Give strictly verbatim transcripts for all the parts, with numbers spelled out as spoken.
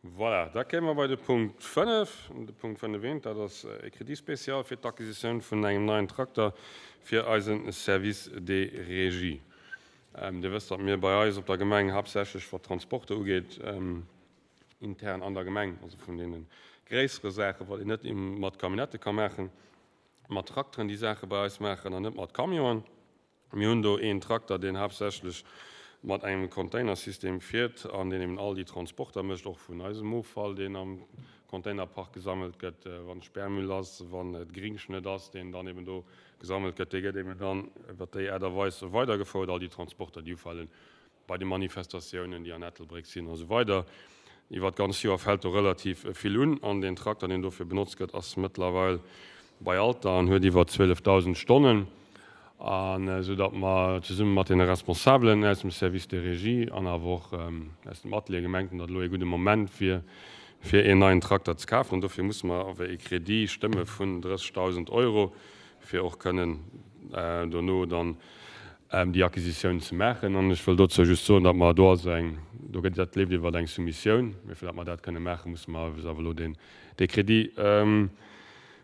Voilà, da kéime mer bei de Punkt fënnef. De Punkt fënnef eent, dat ass e Crédit spécial fir d'Acquisitioun vun engem neien Trakter fir eise Service des régies. Dir wësst, datt mir bei eis op der Gemeng haaptsächlech, wat d'Transporter ugeet, intern an der Gemeng, also vun deene gréissere Saachen, wat een net mat Camionnettë ka maachen, mat Trakteren déi Saache bei eis maachen an net mat Camionen. Mir hunn do een Trakter, deen haaptsächlech mat engem Containersystem fiert an deen eben all déi Transporter mécht, och vun eisem Offall, deen am Containerpark gesammelt gëtt, wann Sperrmüll ass, wann et Gringschnëtt ass, deen dann eben do gesammelt gëtt, dee gëtt eben dann iwwer déi Aart a Weis weidergefouert, all déi Transporter, déi ufalen bei de Manifestatiounen, déi an Ettelbréck sinn a sou weider. Iwwer d'ganz Joer fält do relativ vill un an deen Trakter, deen dofir benotzt gëtt, ass mëttlerweil bei Alter an huet iwwer zwielefdausend Stonnen, an esou datt mer zesumme mat deene Responsabelen aus dem Service de régie an awer och aus dem Atelier gemengt hunn, datt elo ee gudde Moment wier, fir een neien Trakter ze kafen. An dofir musse mer awer ee Crédit stëmme vun drëssegdausend Euro, fir och kënnen dono dann déi Acquisitioun ze maachen. An ech wëll dozou just soen, datt mer do also eng, do gëtt, dat leeft iwwer eng Soumissioun, mee fir datt mer dat kënne maachen, musse mer awer elo deen, dee Crédit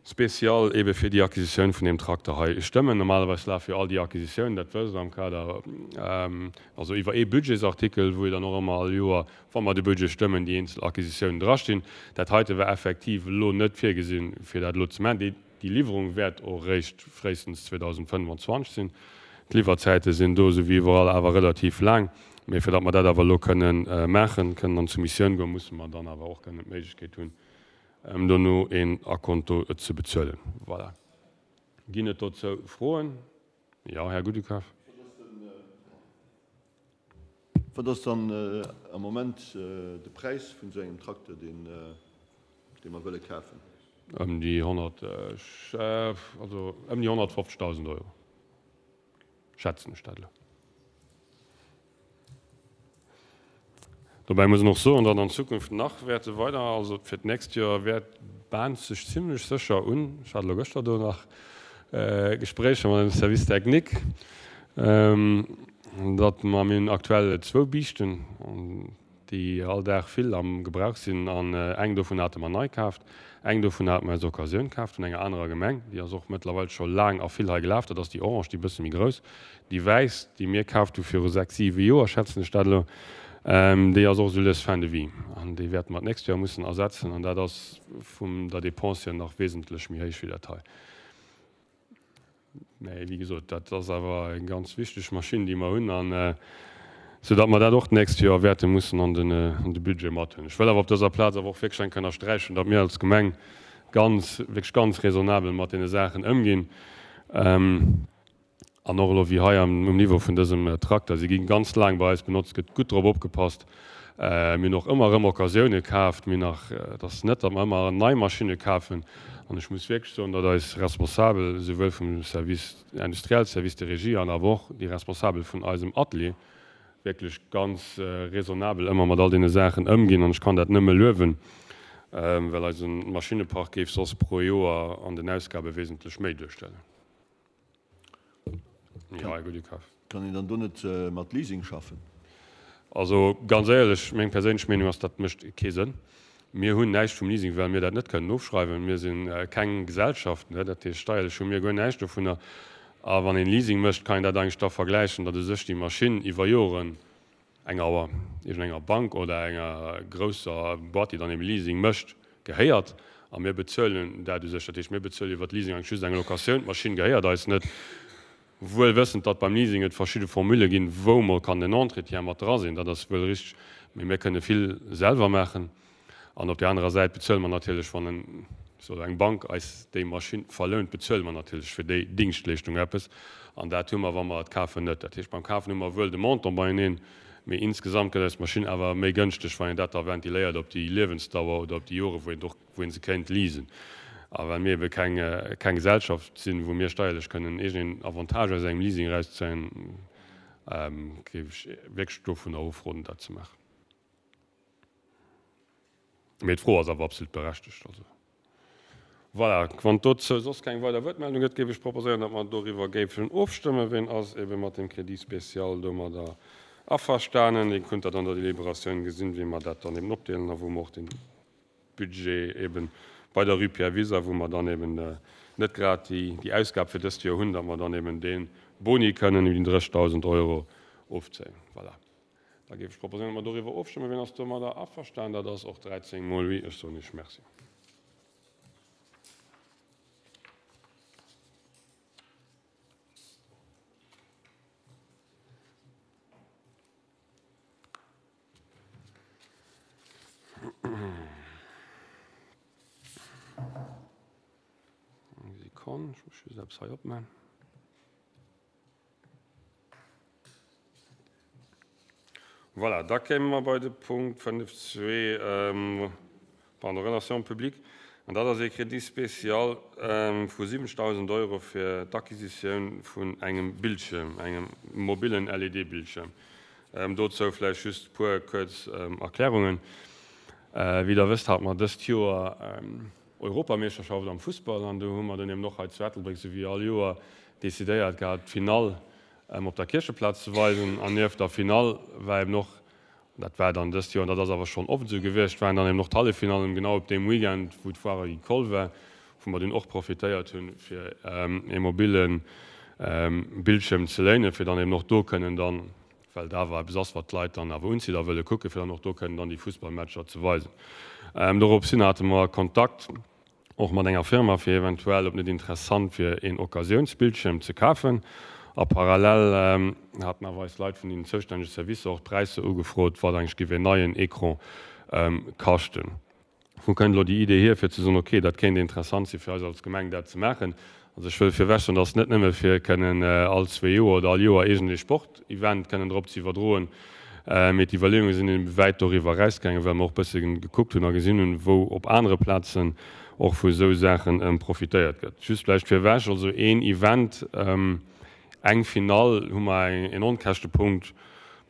spécial eebe fir déi Acquisitioun vun deem Trakter hei stëmmen. Normalerweis lafe jo all déi Acquisitiounen, dat wësst Der, am Kader, also iwwer ee Budgetsartikel, wou jo dann och ëmmer all Joer, wa mer de Budget stëmmen, déi eenzel Acquisitiounen drastinn. Dat heite war effektiv elo net virgesinn, fir dat elo ze maachen. Déi, déi Liwwerung wäert och eréischt fréistens zweedausendfënnfanzwanzeg sinn. D'Liwwerzäite sinn do, esou wéi iwwerall, awer relativ laang. Mee fir datt mer dat awer elo kënnen maachen, kënnen an d'Soumissioun goen, musse mer dann awer och kënnen d'Méiglechkeet hunn, dono een Akonto ze bezuelen. Voilà. Ginn et dozou Froen? Jo, Här Goudekaf. Wat ass dann am Moment de Präis vun esou engem Trakter, deen mer wëlle kafen? Ëm déi honnert, also ëm déi honnertfofzegdausend Euro, schätzen ech dat elo. Dobäi muss een och soen, datt an Zukunft nach wäerte weider, also fir d'nächst Joer wäert, bahnt sech zimlech sécher un, ech hat elo gëschter do nach Gespréicher mat dem Service technique, datt mer, mir hunn aktuell zwou Biischten, déi all Dag vill am Gebrauch sinn an eng dovun hate mer nei kaaft, eng dovun hate mer aus Occasioun kaaft vun enger anerer Gemeng, déi ass och mëttlerweil scho laang a vill hei gelaf, dat ass déi orange, déi bësse méi grouss. Déi wäiss, déi mir kaaft hu viru sechs, siwe Joer, schätzen ech dat elo, déi ass och esou lues fin de vie an déi wäerte mer d'nächst Joer mussen ersetzen an dat ass vum der Dépense hier nach wesentlech méi héich wéi dat hei. Mä wéi gesot, dat ass awer eng ganz wichteg Maschinn, déi mer hunn, an soudatt mer dat och d'nächst Joer wäerte mussen an de Budget mat hunn. Ech wëll awer op dëser Plaz awer och wierklech eng Kéier ënnersträichen, datt mir als Gemeng ganz, wierklech ganz raisonnabel mat deene Saachen ëmginn. An och elo wéi hei um Niveau vun dësem Trakter, si gi ganz laang bei eis benotzt, gëtt gutt drop opgepasst. Mir hunn och ëmmer erëm Occasioune kaaft. Mir nach, et ass net, datt mer ëmmer nei Maschinne kafen. An ech muss wierklech soen, datt eis Responsabel, souwuel vum Service industriel, Service de régie an awer och déi Responsabel vun eisem Atelier, wierklech ganz raisonnabel ëmmer mat all deene Saachen ëmginn. An ech kann dat nëmme luewen, well eise Maschinnepark géif soss pro Joer an den Ausgabe wesentlech méi duerstellen. Jo, Här Goudekaf. Kann een dann do net mat Leasing schaffen? Also ganz éierlech, meng perséinlech Meenung ass, dat mécht kee Sënn. Mir hunn näischt vum Leasing, well mir dat net kënnen ofschreiwen. Mir si keng Gesellschaft, dat heescht steierlech hu mir guer näischt dovunner. A wann een Leasing mécht, kann een dat eigentlech da vergläichen, datt u sech déi Maschinn iwwer Joren enger, iergendenger Bank oder enger grousser Boîte, déi dann ebe Leasing mécht, gehéiert. A mir bezuelen dat u sech. Dat heescht, mir bezuelen iwwer Leasing eigentlech just eng Locatioun. D'Maschinn gehéiert eis net. Wuel wëssend, datt beim Leasing et verschidde Formule ginn, wou mol kann den Entretien mat dra sinn, dat ass wuel richteg, mee mir kënne vill selwer maachen. An op där anerer Säit bezuele mer natierlech, wann en, ech soe eng Bank eis déi Maschinn verlount, bezuele mer natierlech fir déi Dingschtleeschtung eppes. An dat hu mer, wa mer et kafen, net. Dat heescht, beim Kafen hu mer wuel de Montant beieneen, mee insgesamt gëtt eis d'Maschinn awer méi gënschteg, wann een dat da ventiléiert op déi Liewensdauer oder op déi Jore wou een och, wou ee se kéint leasen. A well mir ebe keng, keng Gesellschaft sinn, wou mir steierlech kënnen iergendeen Avantage aus engem Leasing erauszéien, géif ech wierklech dovunner ofroden, dat ze maachen. Mee d'Fro ass awer absolut berechtegt. Also voilà, wann dozou soss keng weider Wuertmeldung gëtt, géif ech proposéieren, datt mer doriwwer géifen ofstëmmen. Ween ass ebe mat deem Crédit spécial domadder Averstanen. Dir kënnt dat an der Deliberatioun gesinn, wéi mer dat dann eben opdeelen a wou mer och den Budget eben bei der Rue Pierre Wieser, wou mer dann eben net grad déi, déi Ausgab fir dëst Joer hunn, datt mer dann eben dee Boni kënnen iwwer déi dréchtausend Euro ofzéien. Voilà. Da géif ech proposéieren, datt mer doriwwer ofstëmmen. Wien ass domadder averstanen? Dat ass och dräizéng mol oui. Ech soen Iech Merci. Eng Sekonn, ech muss just eppes hei opman. Voilà, da kéime mer bei de Punkt fënnef zwee, pardon, Relations publiques. An dat ass ee Crédit spécial vu siwwenzegdausend Euro fir d'Acquisitioun vun engem Bildschirm, engem mobillen L E D-Bildschirm. Dozou vläicht just e puer kuerz Erklärungen. Wéi Der wësst, hate mer dëst Joer Europameeschterschaft am Fussball an do hu mer dann eben och hei zu Ettelbréck, sou wéi all Joer, decidéiert gehat, d'Finall op der Kiercheplaz ze weisen. An nieft der Finall war eben och, dat war dann dëst Joer, an dat ass awer schonn oft esou gewiescht, waren dann eben och d'Halleffinallen genau op deem Weekend, wou d'Foire Agricole war, wou mer dunn och profitéiert hunn, fir ee mobile Bildschirm ze léinen, fir dann eben och do kënnen dann, well et awer eppes ass, wat d'Leit dann awer unzitt a wëlle kucken, fir dann och do kënnen dann déi Fussballmatcher ze weisen. Doropshin hate mer Kontakt och mat enger Firma, fir eventuell, ob net interessant wier, een Occasiounsbildschirm ze kafen. A parallel haten awer eis Leit vun den zoustännege Servicer och d'Präisser ugefrot, wat eigentlech géif een neien Ecran kaschten. Wou kënnt elo déi Idee hier, fir ze soen, okay, dat kéint interessant si fir eis als Gemeng, dat ze maachen? Also ech wëll virwech soen, dass net nëmme fir kënnen all zwee Joer oder all Joer iergendee Sportevent kënnen drop ze iwwerdroen, mee d'Iwwerleeunge sinn eben wäit doriwwer erausgaangen, well mer och e bësse gekuckt hunn a gesinn hunn, wou op anere Plazen och vu esou Saache profitéiert gëtt. Just vläicht virwech, also een Event, eng Finall, hu mer en Onkäschtepunkt,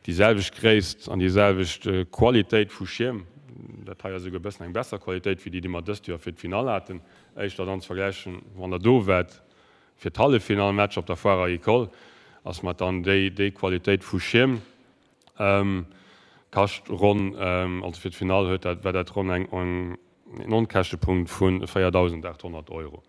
déi selwecht Gréisst an déi selwecht Qualitéit vu Schierm. Dat hei ass esouguer e bëssen eng besser Qualitéit wéi déi, déi mer dëst Joer fir d'Finall haten. Éischter dann ze vergläichen, wann Der do waart fir d'Halleffinallmatch op der Foire Agricole, ass mat dann déi, déi Qualitéit vu Schierm kascht ronn, also fir d'Finall huet dat, war dat ronn eng, en Onkäschtepunkt vu véierdausendachthonnert Euro.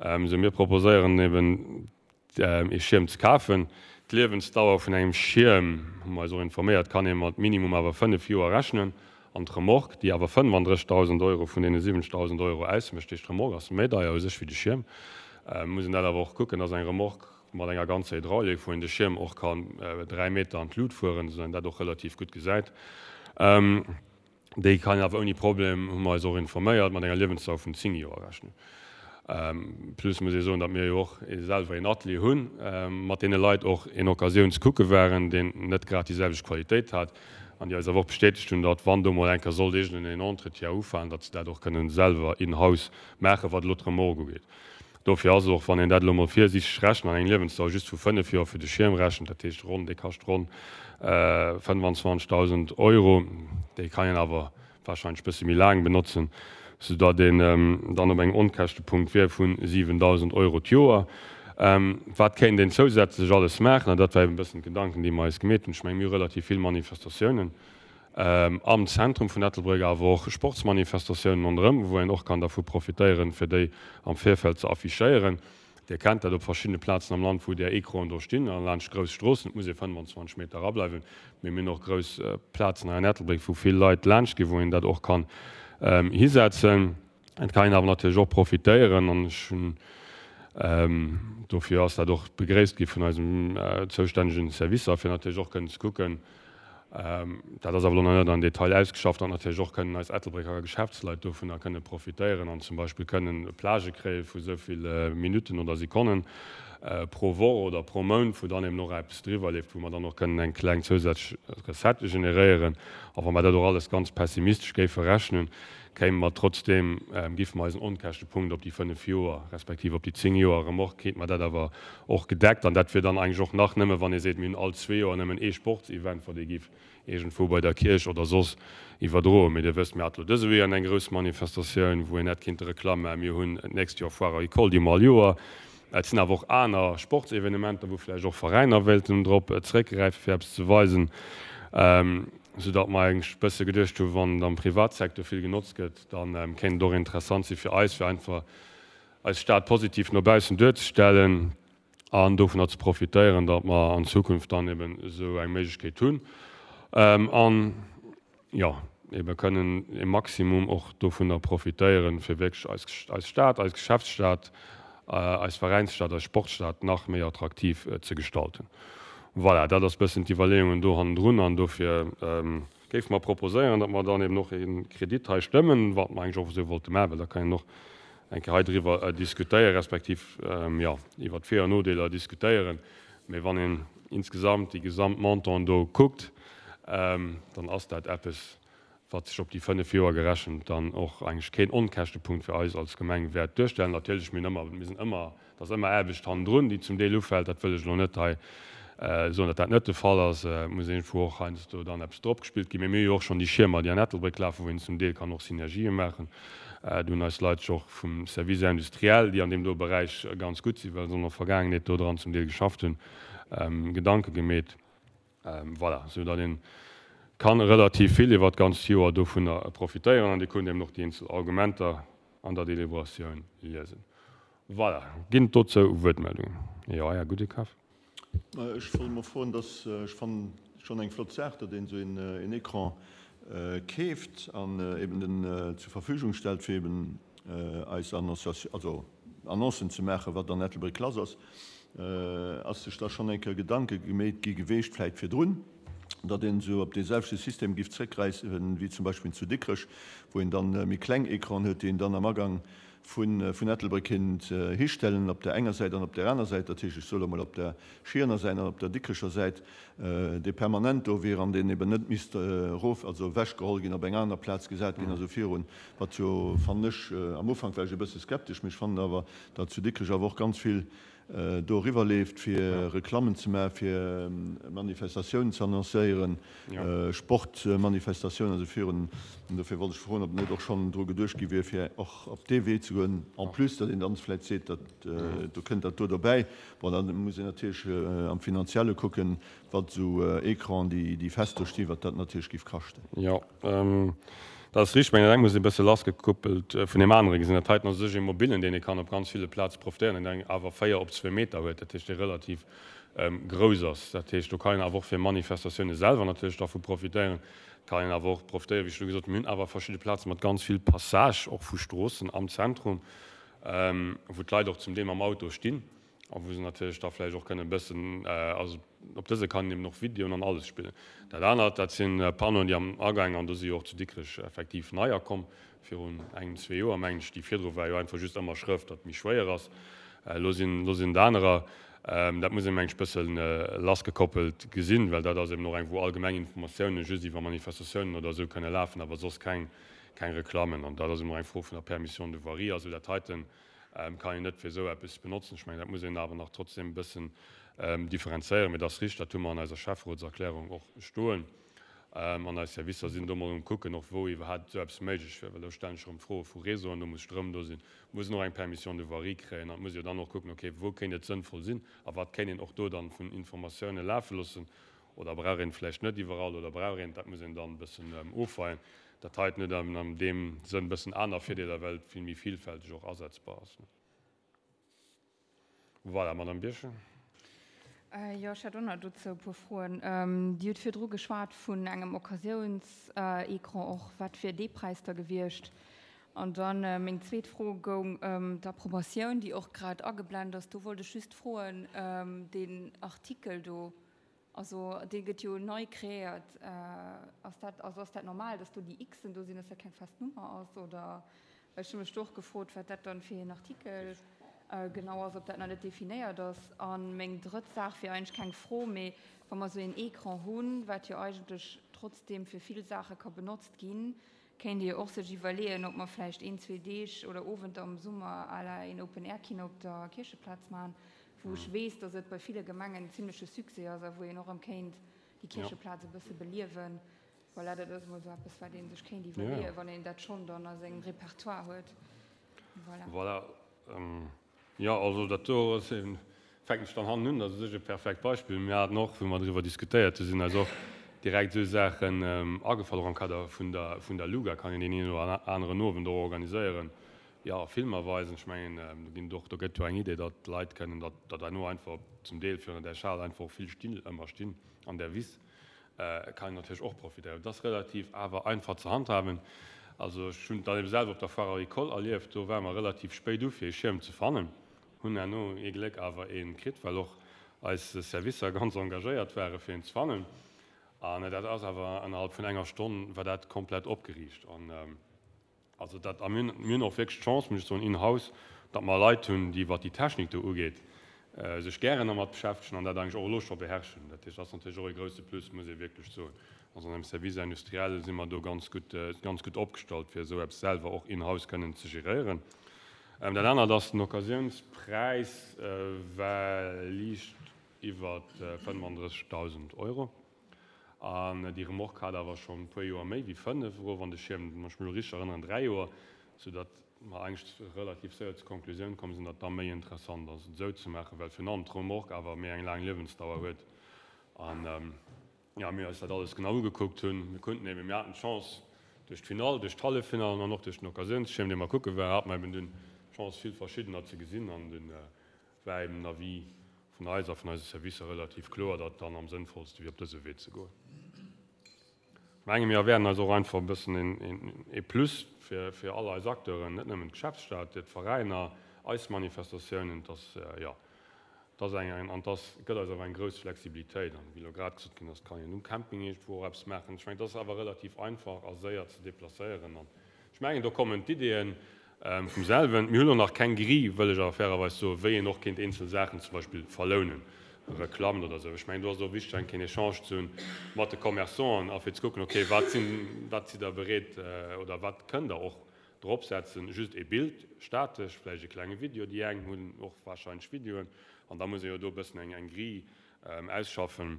Sou, mir proposéieren eben ee Schierm ze kafen. D'Liewensdauer vun engem Schierm, hu mer eis och informéiert, kann ee mat minimum awer fënnef Joer rechnen. An d'Remorque, déi awer fënnefandrëssigdausend Euro vun deene siwwenzegdausend Euro ausmécht, heescht d'Remorque ass méi deier u sech wéi de Schierm, muss een dat awer och kucken, dass eng Remorque mat enger ganzer Hydraulik, wou een de Schierm och kann dräi Meter an d'Lut fueren, esou een dat och relativ gutt gesäit, déi kann een awer ouni Problem, hu mer eis och informéiert, mat enger Liewensdauer vun zéng Joer rechnen. Plus muss ee soen, datt mir jo och selwer een Atelier hunn, mat deene Leit och een Occasiouns kucke waren, deen net grad déi selwecht Qualitéit hat an déi eis awer och bestätegt hunn, datt wann do mol eng Kéier sollt iergendeen Entretien ufalen, datt se dat och kënnen selwer in-house maachen, wat elo d'Remorque ugeet. Dofir ass och, wann een dat elo mol virsiichteg rechent an eng Liewensdauer just vu fënnef Joer fir de Schierm rechent, dat heescht ronn, dee kascht ronn fënnwanzwanzegdausend Euro, déi kann een awer wahrscheinlech bësse méi laang benotzen, soudatt een dann op engem Onkäschtepunkt wier vu siwendausend Euro d'Joer. Wat kéint een zousätzlech alles maachen? An dat war eben e bëssen d'Gedanken, déi mer eis gemeet hunn. Ech mengen, mir hu relativ vill Manifestatiounen am Zentrum vun Ettelbréck, awer och Sportsmanifestatiounen ronderëm, wou een och kann dervu profitéieren, fir déi am Virfeld ze affichéieren. Dir kennt dat op verschiddene Plazen am Land, wou där Ecranen do stinn, a laanscht grouss Stroossen. Et muss ee fënnwanzwanzeg Meter erableiwen, mee mir hunn och grouss Plazen hei an Ettelbréck, wou vill Leit laanscht ginn, wou een dat och kann hisetzen. Et kann een awer natierlech och profitéieren, an ech hunn dofir ass dat och begréisst gi vun eisem zoustännegen Servicer, fir natierlech och kënnen ze kucken, dat ass awer elo nach net am Detail ausgeschafft, datt natierlech och kënnen eis Ettelbrécker Geschäftsleit dovunner kënne profitéieren an zum Beispill kënnen Plagë kréie vu esou vill Minutten oder Sekonnen pro Woch oder pro Mount, wou dann eben och eppes driwwer leeft, wou mer dann och kënnen eng kleng zousätzlech Recette generéieren. A wa mer dat och alles ganz pessimistesch géife rechnen, kéime mer trotzdeem, géife mer eisen Onkäschtepunkt op déi fënnef Joer respektiv op déi zéng Joer Remorque, kéint mer dat awer och gedeckt. An dat wier dann eigentlech och nach nëmme, wann ee seet, mir hunn all zwee Joer nëmmen ee Sportsevent, wat ee géif iergendwou bei der Kierch oder soss iwwerdroen. Mee Dir wësst, mir hate lo dëse Weekend eng grouss Manifestatioun, wou een hätt kinnte Reklamm maachen. Mir hunn d'nächst Joer Foire Agricole, déi hu mer all Joer. Et sinn awer och aner Sportsevenementer, wou vläicht och Veräiner wéilten drop zeréckgräifen, fir eppes ze weisen, soudatt mer eigentlech e bësse geduecht hunn, wann et am Privatsecteur vill genotzt gëtt, da kéint et och interessant si fir eis, fir einfach eis Stad positiv no baussen duerzestellen an dovunner ze profitéieren, datt mer an Zukunft dann eben esou eng Méiglechkeet hunn an, jo, ebe kënnen e Maximum och dovunner profitéieren, fir wierklech eis, eis Stad, eis Geschäftsstad, eis Veräinsstad, eis Sportstad nach méi attraktiv ze gestalten. Voilà, dat ass bëssen d'Iwwerleeungen do hannendrun an dofir géife mer proposéieren, datt mer dann eben och e Kredit hei stëmmen, wat mer eigentlech och esou wollte maachen, well da kann een och eng Kéier hei driwwer diskutéieren, respektiv, jo, iwwert d'Vir an Nodeeler diskutéieren. Mee wann een insgesamt déi gesamt Montanten do kuckt, dann ass dat eppes, wat sech op déi fënnef Joer gerechent dann och eigentlech keen Onkäschtepunkt fir eis als Gemeng wäert duerstellen. Natierlech, mir hunn ëmmer, mir sinn ëmmer, et ass ëmmer Aarbecht hannendrun, déi zum Deel ufält. Dat wëll ech elo net hei soen, datt dat net de Fall ass. Et muss iergendwou och heiansdo dann eppes dropgespillt ginn. Mee mir hu jo och schonn déi Schiermer, déi an Ettelbréck lafen, wou een zum Deel kann och Synergië maachen. Do hunn eis Leit sech och vum Service industriel, déi an deem do Beräich ganz gutt sinn, well se an der Vergaangenheet do dran zum Deel geschafft hunn, Gedanke gemeet. Voilà, sou datt ee kann relativ vill iwwert d'ganzt Joer dovunner profitéieren. An Dir kunnt eben och déi eenzel Argumenter an der Deliberatioun liesen. Voilà, ginn et dozou Wuertmeldungen? Jo, Här Gudekaf. Ech wollt emol froen, dass, ech fannen schonn eng flott Saach, datt een esou een Écran keeft an eben den zur Verfügung stellt, fir eben eis Annonciation, also Annoncen ze maachen, wat an Ettelbréck lass ass. Ass sech da schonn eng Kéier Gedanke gemeet gi geweecht, vläit virdrun, datt een esou op dee selwechte System giff zréckgräifen, wéi zum Beispill zu Dikrech, wou een dann méi kleng Ecranen huet, déi een dann am Agang vun Ettelbréck kinnt histellen, op där enger Säit an op där aner Säit, dat heescht, ech soe lo mol op der Schierener Säit an op der Dikrecher Säit, dee permanent do wier an deen eben net misst erof, also ewechgeholl ginn, op eng aner Plaz gesat ginn a sou virun, wat jo, fannen ech, am Ufank war ech e bësse skeptesch, mee ech fannen awer, datt zu Dikrech awer och ganz vill do eriwwer leeft, fir Reklammen ze maachen, fir Manifestatiounen ze annoncéieren, Sportmanifestatiounen a sou virun. An dofir wollt ech froen, ob net och schonn dru geduecht gi wier, fir och op dee Wee ze goen, en plus, datt een dann vläicht seet, datt do kënnt dat do dobäi. Bon, da muss een natierlech am Finanzielle kucken, wat esou Ecranen, déi fest do stinn, wat dat natierlech géif kaschten. Jo. Dat ass richteg, mä dat eng muss ee bësse lassgekuppelt vun deem anere gesinn. Dat heiten ass u sech ee mobilen, deen ee kann op ganz ville Plaze profitéieren, deen awer véier op zwee Meter huet, dat heescht dee relativ grouss ass. Dat heescht, do kann een awer och fir Manifestatioune selwer natierlech dervu profitéieren. Et kann een awer och profitéieren, wéi ech elo gesot hunn, mir hunn awer verschidde Plaze mat ganz vill Passage och vu Stroossen am Zentrum, wou d'Leit och zum Deel mam Auto stinn a wou se natierlech da vläicht och kënnen e bëssen, also op dëse kann een eben och Videoen an alles spillen. Dat anert, dat si Panneauen, déi am Agaang, an do si jo och zu Dikrech effektiv neier komm, virun engem, zwee Joer mengen ech, déi virdru war jo einfach just ëmmer Schrëft, dat méi schwéier ass, elo sinn, elo sinn et anerer. Dat muss een, mengen ech, e bëssen lassgekoppelt gesinn, well dat ass eben och eng, wou allgemeng Informatiounen just iwwer Manifestatiounen oder esou kënne lafen, awer soss keng, keng Reklammen. An dat ass eben och eng Fro vun der Permission de voirie. Also dat heiten kann een net fir esou eppes benotzen. Ech mengen, dat muss een awer nach trotzdem e bëssen differenzéieren. Mee et ass richteg, dat hu mer an eiser Schäfferotserklärung och stoen. An eis Servicer sinn do mol um Kucken, och wou iwwerhaapt esou eppes méiglech wier. Well do stellen sech erëm d'Froe vu Réseauen, do muss Stroum do sinn, muss een och eng Permission de voirie kréien an et muss ee jo dann och kucken, okay, wou kéint et sënnvoll sinn a wat kéint een och do dann vun Informatioune lafe loossen oder brauch een et vläicht net iwwerall oder brauch een et, dat muss een dann e bëssen ofweien. Dat heiten huet awer an deem Sënn e bëssen aner Virdeeler, well et vill méi villfälteg och asetzbar ass. Voilà, Madame Birchen. Jo, ech hätt och nach dozou e puer Froen. Dir hutt virdru geschwat vun engem Occasiounsecran och. Wat wier dee Präis da gewiescht? An dann meng zweet Fro goung ëm d'Approbatioun, déi och grad ageblent ass. Do wollt ech just froen, deen Artikel do, Also dee gëtt jo nei kreéiert. Ass dat, also ass dat normal, datt do déi Xen do sinn, datt dat keng fest Nummer ass? Oder ech hu mech do och gefrot, wat dat dann fir een Artikel genau ass, ob dat nach net definéiert ass. A meng drëtt Saach wier eigentlech keng Fro, mee wa mer esou een Ecran hunn, wat jo eigentlech trotzdeem fir vill Saache ka benotzt ginn, kéint ee jo och sech iwwerleeën, ob mer vläicht een, zwee Deeg oder Owenter am Summer à la een Open-Air-Kino op der Kiercheplaz maachen. wou ech weess, dass et bei ville Gemengen en zimleche Succès ass a wou een och erëm kéint déi Kiercheplaz e bësse beliewen. Voilà, dat ass emol esou eppes, wat ee sech kéint iwwerleeën, wann een dat schonn dann a sengem Repertoire huet. Voilà. Voilà. Jo, also dat do ass eben, fänken ech dann hannen un, dat ass u sech e perfekt Beispill. Mir haten och, wou mer driwwer diskutéiert hu sinn eis och direkt esou Saachen agefall, och am Kader vun der, vun der Luga kann een deen een oder aneren Owend och organiséieren, jo, Filmer weisen. Ech mengen, do ginn et och, do gëtt jo eng Idee, datt d'Leit kënnen, datt datt herno einfach zum Deel virun där Schal einfach och vill Still ëmmer stinn an där Wiss, kann een natierlech och profitéieren. Dat ass relativ awer einfach ze handhaben. Also ech hunn et dann ebe selwer op der Foire agricole erlieft, do ware mer relativ spéit u fir ee Schierm ze fannen, hunn herno ee Gléck awer ee kritt, well och eis Servicer ganz engagéiert ware fir een ze fannen. An dat ass awer ënnerhalb vun enger Stonn war dat komplett opgeriicht. An also dat, a mir hunn, mir hunn och wierklech d'Chance, muss ech soen, in-house, datt mer Leit hunn, déi wat déi Technik do ugeet, sech gären dermat beschäftegen an dat eigentlech och elo scho beherrschen. Dat heescht, dat ass natierlech och ee grouse Plus, muss ee wierklech soen. Also an engem Service industriel si mer do ganz gutt, ganz gutt opgestallt, fir esou eppes selwer och in-house kënnen ze geréieren. Dat anert ass, den Occasiounspräis war liicht iwwer fënnefandrëssegdausend Euro. An déi Remorque hat awer schonn e puer Joer méi wéi fënnef, erof an de Schierm, wann ech mech elo richteg erënneren, dräi Joer, soudatt mer eigentlech relativ séier zur Konklusioun komm sinn, datt et da méi interessant ass, et esou ze maachen, well virun allem d'Remorque awer méi eng laang Liewensdauer huet. An, jo, mir eis dat alles genau ugekuckt hunn. Mir konnten eben, mir haten d'Chance duerch d'Finall, duerch d'Halleffinallen an och duerch den Occasiounsschierm, dee mer kucke waren, hate mer eben dunn d'Chance, vill verschiddener ze gesinn. An dunn war eben den Avis vun eis a vun eise Servicer relativ kloer, datt et dann am sënnvollste wier, op dëse Wee ze goen. Ech menge mir erwäerden eis och einfach e bëssen ee Plus fir all eis Acteuren, net nëmmen d'Geschäftsstad, d'Veräiner, eis Manifestatiounen. Et ass, jo, et ass eng, an et ass, gëtt eis awer eng grouss Flexibilitéit. An wéi elo grad gesot ginn ass, kann een um Camping iergendwou och eppes maachen. Ech mengen, et ass awer relativ einfach a séier ze deplacéieren. An ech mengen, do kommen d'Ideeën Vum selwen. Mir hunn och nach keng Grille, wëll ech awer fairerweis soen, wéi een och kéint eenzel Saachen zum Beispill verlounen, Reklammen oder esou. Ech mengen, do ass et och wichteg, eng Kéier en Echange ze hunn mat de Commerçanten a fir ze kucken, okay, wat sinn, wat sidd Der bereet oder wat kënnt Der och dropsetzen, just ee Bild, statesch, vläicht e klenge Video, déi eng hunn och wahrscheinlech Videoen, an da muss ee jo do e bëssen eng eng Grille ausschaffen.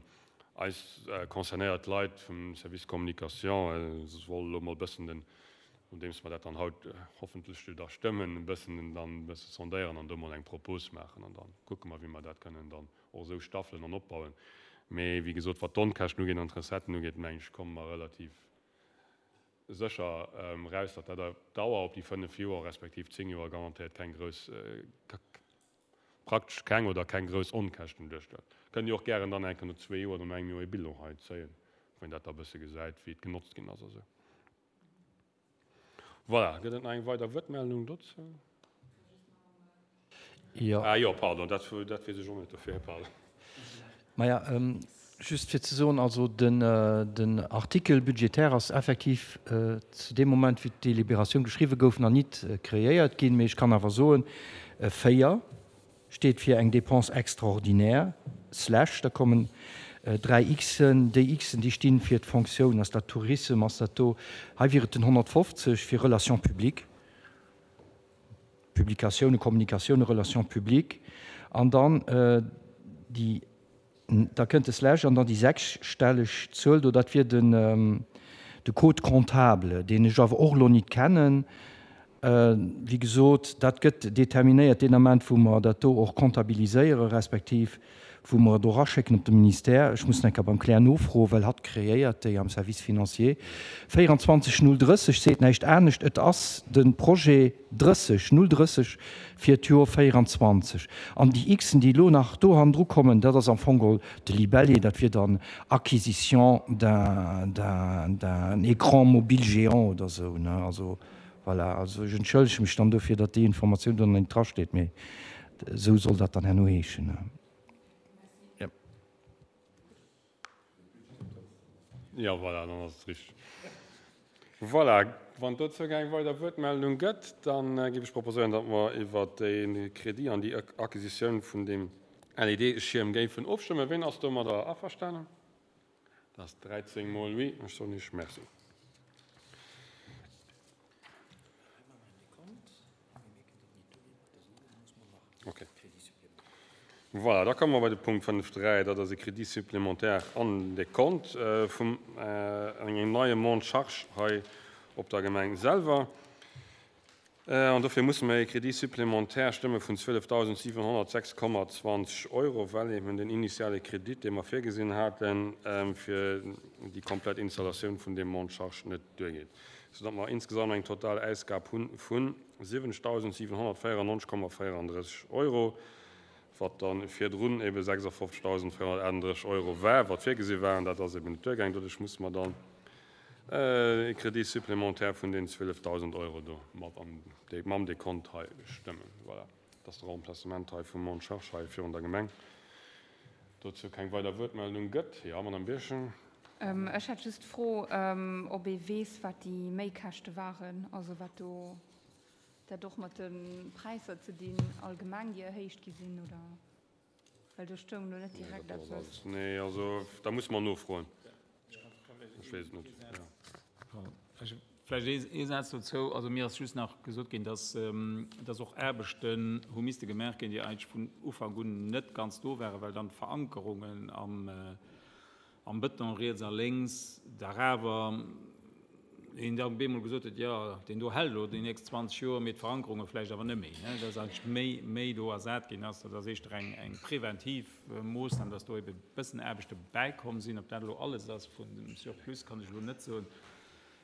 Eis concernéiert Leit vum Service Communication solle elo mol e bëssen den Nodeems mer dat dann haut hoffentlech do da stëmmen, e bëssen dann e bësse sondéieren an do mol eng Propos maachen an da kucke mer, wéi mer dat kënnen dann och esou staffelen an opbauen. Mee wéi gesot, wat d'Onkäschten ugeet an d'Recetten ugeet, mengen ech, komme mer relativ sécher eraus, datt dat op Dauer, op déi fënnef Joer respektiv zéng Joer garantéiert keng grouss, praktesch keng oder keng grouss Onkäschten duerstellt. Kënnt Dir och gären dann eng Kéier no zwee Joer oder no engem Joer ee Bilan hei zéien, wou een dat da e bësse gesäit, wéi et genotzt ginn ass a sou. Voilà, gëtt et nach eng weider Wuertmeldung dozou? Jo. Ah jo, pardon, dat, dat weess ech och net, dofir, pardon. Maja, just fir ze soen, also den, den Artikel budgétaire ass effektiv zu deem Moment, wéi d'Délibératioun geschriwwen gouf, nach nit kreéiert ginn. Mee ech kann awer soen, véier steet fir eng Dépense extraordinaire, slash, da kommen dräi Xen, déi Xen, déi stinn fir d'Fonctioun, ass dat Tourisme, ass dat do, hei wier et den honnertfofzeg fir Relations publiques, Publikatiounen, Kommunikatiounen, Relations publiques, an dann déi, da kënnt de Slash an dann déi sechsstelleg Zuel do, dat wier den, de Code comptable, deen ech awer och elo nit kennen. Wéi gesot, dat gëtt determinéiert deen Ament, wou mer dat do och comptabiliséiere respektiv wou mer et och eraschécken op de Ministère. Ech muss nach eng Kéier beim Claire nofroen, well hatt kreéiert déi am Service financier. véierundzwanzeg null drësseg seet näischt anescht, et ass de Projet drësseg null drësseg fir d'Joer véierundzwanzeg. An déi Xen, déi elo nach do hannendru kommen, dat ass am Fong geholl de Libellé, dat wier dann Acquisition d'un, d'un, d'un écran mobile géant oder esou, ne. Also voilà, also ech entschëllege mech dann dofir, datt déi Informatioun do nach net drasteet, mee esou soll dat dann herno heeschen. Jo. Jo, voilà, dann ass et richteg. Voilà, wann dozou keng weider Wuertmeldung gëtt, da géif ech proposéieren, datt mer iwwert dee Crédit an déi Acquisitioun vun deem L E D-Schierm géifen ofstëmmen. Ween ass domadder averstanen? Dat ass dräizéng mol oui. Ech soen Iech Merci. Okay. Voilà, da komme mer bei de Punkt fënnef dräi. Dat ass e Crédit supplémentaire an de Kont vum engem neie Monte-charge hei op der Gemeng selwer. An dofir musse mer e Crédit supplémentaire stëmme vun zwielefdausendsiwenhonnertsechs Komma zwanzeg Euro, well eben den initiale Kredit, dee mer virgesinn haten, fir déi komplett Installatioun vun deem Monte-charge net duergeet, soudatt mer insgesamt eng total Ausgab hu vu siwwenzegdausendsiwenhonnertvéierennonzeg Komma véierandrësseg Euro, wat da virdrun ebe sechsundfünfzigtausendvierhundertaachtunddrësseg Euro war, wat virgesi war, an dat ass eben net duergaangen. Doduerch musse mer dann e Crédit supplémentaire vun den zwielefdausend Euro do mat am mam Dekont hei stëmmen. Voilà, dat ass de Remplacement hei vum Monte-charge hei virun der Gemeng. Dozou keng weider Wuertmeldung gëtt. Jo, Madame Birchen. Ech hätt just d'Fro, ob ee weess, wat déi Méikäschte waren, also wat do dat och mat de Präisser ze dinn allgemeng, déi erhéicht gi sinn, oder? Well do stoung elo net direkt eppes. Nee, also da musse mer nofroen. Ech weess et net. Jo. Vläicht ee Saz dozou. Also mir ass just nach gesot ginn, dass, dass och Aarbechten hu misste gemaach ginn, déi eigentlech vun Ufank un net ganz do waren, well dann d'Verankerungen am, am Bëton riets a lénks dach awer een da op eemol gesot huet, jo, deen do hält elo déi nächst zwanzeg Joer, mee d'Verankerunge vläicht awer net méi, dass eigentlech méi, méi do ersat ginn ass. Dat ass éischter eng, eng preventiv Moossnam, dass do ebe bëssen Aarbechte bäikomm sinn. Ob dat elo alles ass vun dem Surplus, kann ech elo net soen.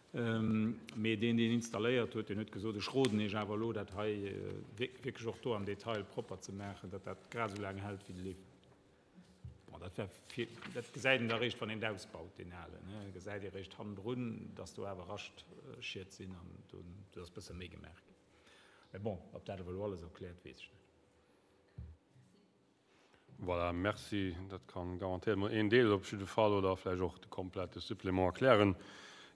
Mee deen, deen installéiert huet, deen huet gesot, ech roden Iech awer elo, dat hei wierklech och do am Detail propper ze maachen, datt dat grad esou laang hält wéi de Lift. Bon, dat wär fir, dat gesäit een da eréischt, wann een et ausbaut, deen alen, ne, gesäit ee eréischt hannendrun, datt do awer Raschtschied sinn an do, do ass e bësse méi gemaach ginn. Mä bon, ob dat awer elo alles erkläert, weess ech net. Voilà, merci. Dat kann garantéiert mol een Deel op jidde Fall oder vläicht och de komplette Supplément erklären.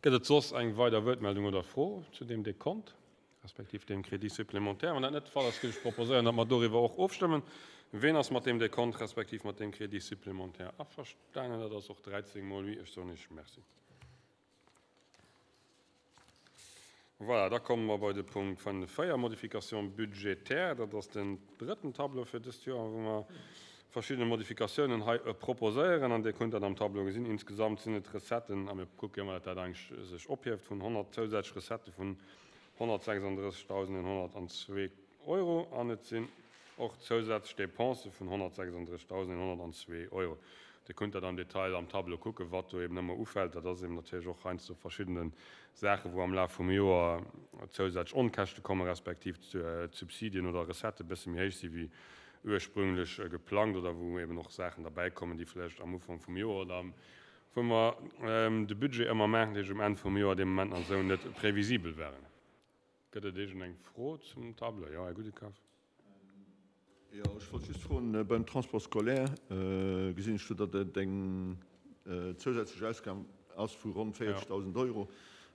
Gëtt et soss eng weider Wuertmeldung oder Fro zu deem Dekont, respektiv deem Crédit supplémentaire? Wann dat net de Fall ass, géif ech proposéieren, datt mer doriwwer och ofstëmmen. Ween ass mat deem Dekont respektiv mat deem Crédit supplémentaire averstanen? Dat ass och dräizéng mol oui. Ech soen Iech Merci. Voilà, da komme mer bei de Punkt fënnef véier, Modification budgétaire. Dat ass den drëtten Tableau fir dëst Joer, wou mer verschidde Modifikatiounen hei proposéieren. An Dir kënnt dat am Tableau gesinn. Insgesamt sinn et Recetten, a mir kucke jo ëmmer, datt dat eigentlech sech ophieft, vun honnert zousätzlech Recettë vun honnertsechsunddrëssigdausendeenhonnertandzwee Euro. An et sinn och zousätzlech Dépensë vun honnertsechsunddrëssigdausendeenhonnertandzwee Euro. Dir kënnt dat am Detail am Tableau kucken, wat do eben ëmmer ufält. Dat ass eben natierlech och heiansdo verschiddene Saachen, wou am Laf vum Joer zousätzlech Onkäschte kommen, respektiv d'Subsidien oder Recettë e bësse méi héich si wéi ursprünglech geplangt oder wou eben och Saachen derbäikommen, déi vläicht am Ufank vum Joer oder am, wou mer de Budget ëmmer maachen, dat heescht um Enn vum Joer, dee Moment nach esou net previsibel waren. Gëtt et iergendeng Fro zum Tableau? Jo, Här Gudekaf. Jo, ech wollt just froen, beim Transport scolaire gesinn ech do, datt et eng zousätzlech Ausgab ass vu ronn véierzegdausend Euro.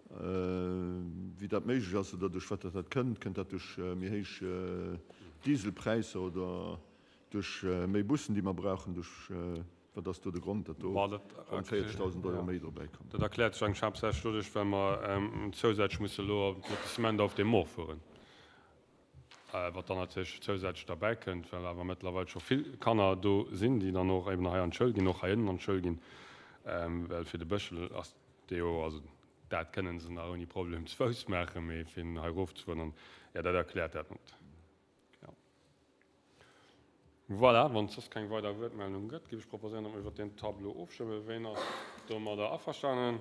Wéi dat méiglech ass oder duerch wat dat kënnt. Kënnt dat duerch méi héich Dieselpräisser oder duerch méi Bussen, déi mer brauchen? Duerch wat ass do de Grond, datt do ronn véierzegdausend Euro méi dobäi kommen? Dat erkläert sech eigentlech haaptsächlech doduerch, well mer zousätzlech musse elo op Lotissement Auf dem Moor fueren. Wat dann natierlech zousätzlech derbäi kënnt, well awer mëttlerweil scho vill Kanner do sinn, déi dann och eben hei an d'Schoul ginn, och hei ënnen an d'Schoul ginn, well fir de Bëschel ass dee jo, also dat kënnen se nach ouni Problem zu Fouss maachen, mee fir hei erofzefueren, an jo, dat erkläert dat net. Jo. Voilà, wann et soss keng weider Wuertmeldung gëtt, géif ech proposéieren, datt mer iwwert deen Tableau ofstëmmen. Ween ass domadder averstanen?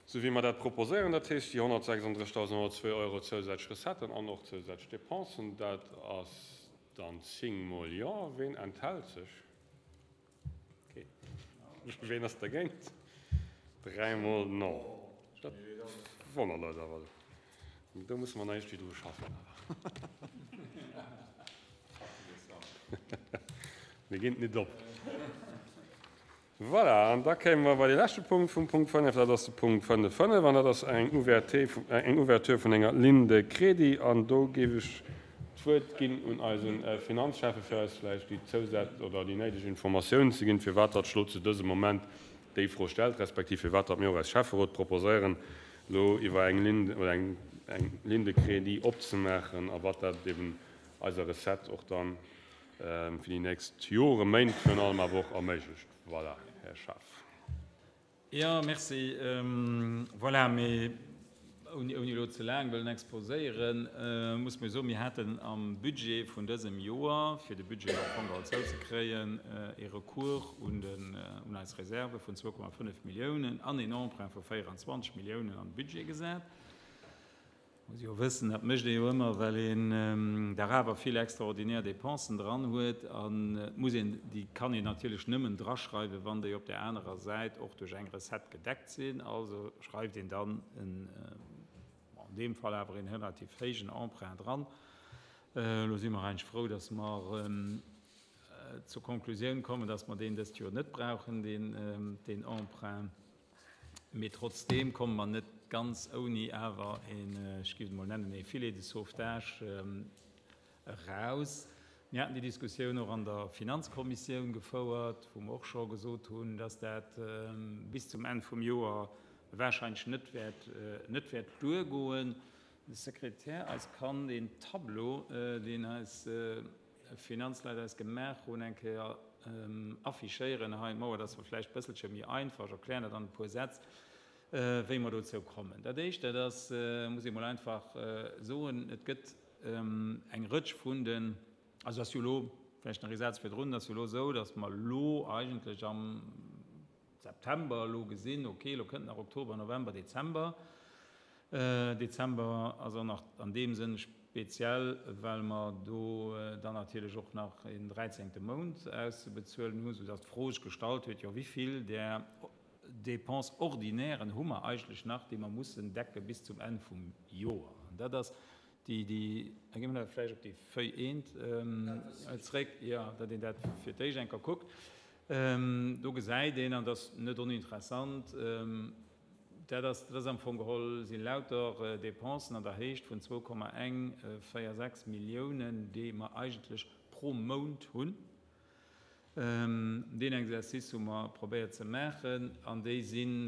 Sou wéi mer dat proposéieren, dat heescht déi honnertsechsunddrëssigdausendhonnertzwee Euro zousätzlech Recetten an och zousätzlech Dépensen, dat ass dann zéng Mol Jo. Ween enthält sech? Keen. Ween ass dergéint? Dräi Mol Non. Dat wonnert eis awer. Do musse mer nach iergendwéi dru schaffen awer. Mir ginn et nit op. Voilà, an da kéime mer bei dee leschte Punkt vum Punkt fënnef, dat ass de Punkt fënnef fënnef, an dat ass eng Ouverté, eng Ouverture vun enger Ligne de crédit. An do géif ech d'Wuert ginn un eise Finanzschäffe fir eis vläicht déi Zousät oder déi néideg Informatiounen ze ginn, firwat datt elo zu dësem Moment déi Fro stellt, respektiv firwat datt mir och als Schäfferot proposéieren, elo iwwer eng Ligne oder eng eng Ligne de crédit opzemaachen a wat dat eben eiser Recette och dann fir déi nächst Joren, Méint virun allem awer och erméiglecht. Voilà, Här Schaaf. Jo, merci. Voilà, mee Ouni elo ze laang wëllen exposéieren, muss mer jo soen, mir haten am Budget vun dësem Joer, fir de Budget am Fong geholl zouzekréien, ee Recours un eis Reserve vun zwou Komma fënnef Milliounen an een Emprunt vu véieranzwanzeg Milliounen an de Budget gesat. Muss jo wëssen, dat mécht ee jo ëmmer, well een dach awer vill extraordinär Dépensen dran huet an et muss een, déi kann een natierlech nëmmen draschreiwen, wann déi op där anerer Säit och duerch eng Recette gedeckt sinn. Also schreift een dann en, bon, an deem Fall awer een relativ héijen Emprunt dran. Elo si mer eigentlech frou, dass mer zur Konklusioun kommen, dass mer deen dëst Joer net brauchen, deen, deen Emprunt. Mee trotzdeem komme mer net ganz ouni awer een, ech géif et emol nennen, ee Filet de sauvetage eraus. Mir haten déi Diskussioun och an der Finanzkommissioun gefouert, wou mer och scho gesot hunn, dass dat bis zum Enn vum Joer wahrscheinlech net wäert, net wäert duergoen. De Sekretär eis kann deen Tableau, deen eis Finanzleit eis gemaach hunn, eng Kéier affichéieren hei d'Mauer, dass mer vläicht e bësselche méi einfach, ech erklären dat an e puer Sätz, wéi mer dozou kommen. Dat Éischt, dat ass, muss ee mol einfach soen, et gëtt eng Rëtsch vun den, also ass jo elo, vläicht nach ee Saz virdrun, et ass jo elo esou, dass mer elo eigentlech am September elo gesinn, okay, elo kënnt nach Oktober, November, Dezember. Dezember ass och nach an deem Sënn speziell, well mer do dann natierlech och nach een dräizéngte Mount auszebezuelen hunn, soudass d'Fro sech gestallt huet, jo, wéi vill där Dépenses ordinairen hu mer eigentlech nach, déi mer mussen decke bis zum Enn vum Joer? An dat ass déi, déi, da gi mer vläicht op déi Feuille eent zréck, jo, datt een dat fir d'éischt eng Kéier kuckt. Do gesäit een, an dat ass net oninteressant, dat ass, dat ass am Fong geholl, si lauter Dépensen an der Héicht vun zwou Komma eng véier sechs Milliounen, déi mer eigentlech pro Mount hunn. Deen Exercice hu mer probéiert ze maachen an déi sinn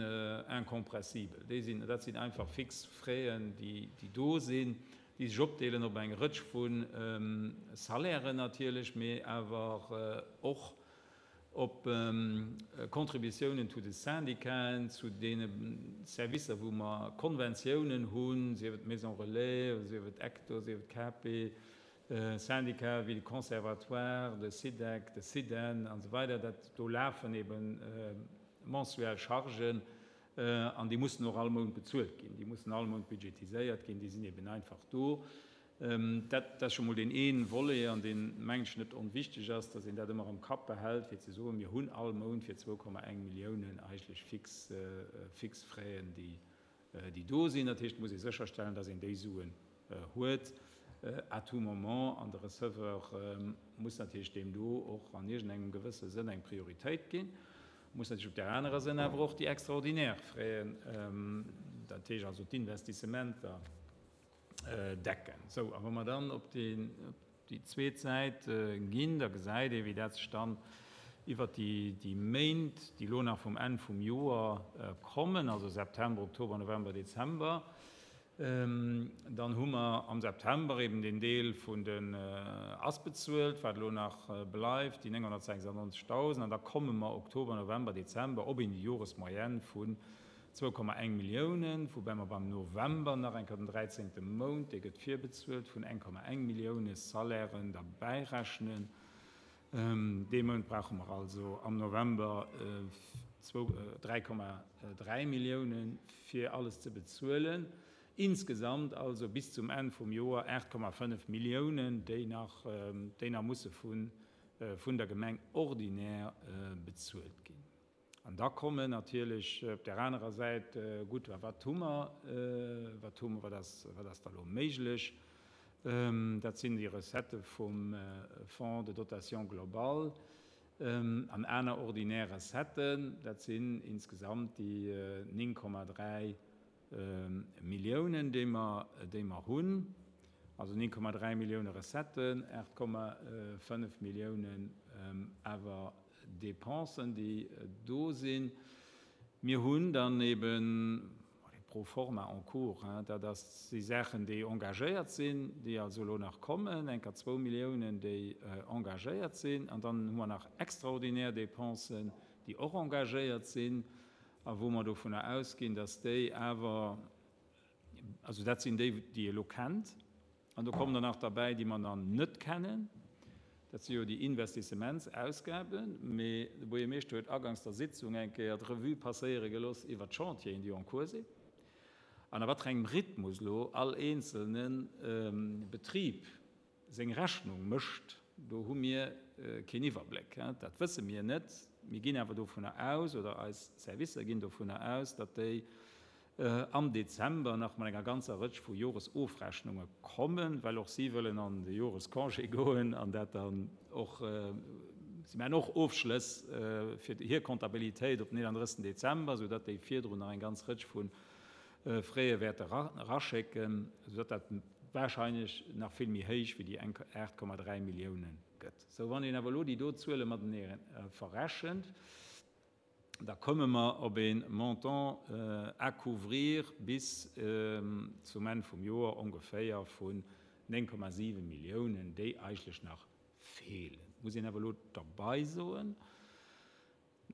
incompressibel. Déi sinn, dat sinn einfach fix Fraisen, déi, déi do sinn, déi sech opdeelen op eng Rëtsch vu Salairen natierlech, mee awer och op Contributiounen zu de Syndicaten, zu deene Servicer, wou mer Konventiounen hunn, sief et Maison Relais, sief et Ecto, sief et K P, Syndicat wéi de Conservatoire, de SIDEC, de SIDEN an esou weider. Dat do lafen eben mensuell Chargen an déi mussen och all Mount bezuelt ginn, déi mussen all Mount budgetiséiert ginn, déi sinn eben einfach do. Dat ass scho mol deen ee Volet, an deen, mengen ech, net onwichteg ass, datt een dat ëmmer am Kapp behält, fir ze soen, mir hunn all Mount fir zwou Komma eng Milliounen eigentlech fix, fix Fraisen, déi, déi do sinn. Dat heescht, et muss ee sécherstellen, datt een déi Suen huet à tout moment, an de Receveur muss natierlech deem do och an iergendengem gewësse Sënn eng Prioritéit ginn. Muss natierlech op där anerer Sënn awer och déi extraordinär Fraisen, dat heescht also d'Investissementer, decken. Sou, a wa mer dann op déi, op déi zweet Säit ginn, da gesäit ee wéi dat sech dann iwwert déi, déi Méint, déi elo nach vum Enn vum Joer kommen, also September, Oktober, November, Dezember, dann hu mer am September eben deen Deel vun den ass bezuelt, wat elo nach bleift, déi nénghonnertsechsannonzegdausend, an da komme mer Oktober, November, Dezember op een Joresmoyenne vun zwou Komma eng Milliounen, woubäi mer beim November nach eng Kéier den dräizéngte Mount, dee gëtt virbezuelt, vun eng Komma eng Millioune Salairen derbäi rechnen. Dee Mount brauche mer also am November zwou, dräi Komma dräi Milliounen, fir alles ze bezuelen. Insgesamt also bis zum Enn vum Joer aacht Komma fënnef Milliounen, déi nach, déi nach musse vun, vun der Gemeng ordinär bezuelt ginn. An da kommen natierlech op där anerer Säit, gutt, a wat hu mer, wat hu mer, wat ass, wat ass da elo méiglech? Dat sinn déi Recettë vum Fonds de dotation globale an aner ordinär Recetten. Dat sinn insgesamt déi néng Komma dräi Milliounen, déi mer, déi mer hunn. Also néng Komma dräi Millioune Recetten, aacht Komma fënnef Milliounen awer Dépensen, déi do sinn. Mir hunn dann eben pro forma en cours, dat ass si Saachen, déi engagéiert sinn, déi also elo nach kommen, enker zwou Milliounen, déi engagéiert sinn. An dann hu mer nach extraordinär Dépensen, déi och engagéiert sinn a wou mer dovunner ausginn, dass déi awer Also dat sinn déi, déi ee elo kennt. An do kommen der nach derbäi, déi mer nach net kennen. Dat si jo déi Investissementsausgaben. Mee de Buergermeeschter huet agangs der Sitzung eng Kéier d'Revue passéiere gelooss iwwert d'Chantieren, déi en cours sinn. An a wat fir engem Rhythmus elo all eenzelne Betrib seng Rechnung mécht, do hu mir keen Iwwerbléck. Dat wësse mir net. Mir ginn awer dovunner aus, oder eis Servicer ginn dovunner aus, datt déi am Dezember nach mat enger ganzer Rëtsch vu Joresofrechnunge kommen, well och si wëllen an de Jorescongé goen an dat dann och, si maachen och Ofschlëss fir hir Comptabilitéit op den eenanddrëssigsten Dezember, soudatt déi virdrun nach eng ganz Rëtsch vu Frais wäerte raschécken, soudatt dat wahrscheinlech nach vill méi héich wéi déi aacht Komma dräi Millioune gëtt. Sou, wann een awer elo déi do Zuele matenee verrechent, da komme mer op e Montant à couvrir bis zum Enn vum Joer ongeféier vun néng Komma siwe Milliounen, déi eigentlech nach feelen. Muss een awer elo derbei soen,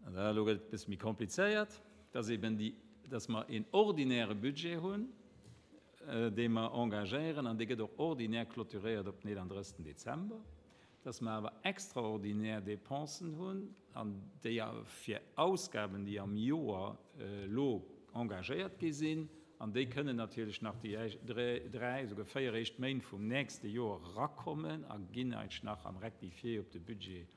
an elo gëtt et e bësse méi komplizéiert, dass eben déi, dass mer een ordinäre Budget hunn, dee mer engagéieren, an dee gëtt och ordinär clôturéiert op den eenanddrëssigsten Dezember, dass mer awer extraordinär Dépensen hunn, an déi fir Ausgaben, déi am Joer elo engagéiert gi sinn, an déi kënnen natierlech nach déi dräi, esouguer véier éischt Méint vum nächste Joer erakommen a ginn eigentlech nach am Rectifié op de Budget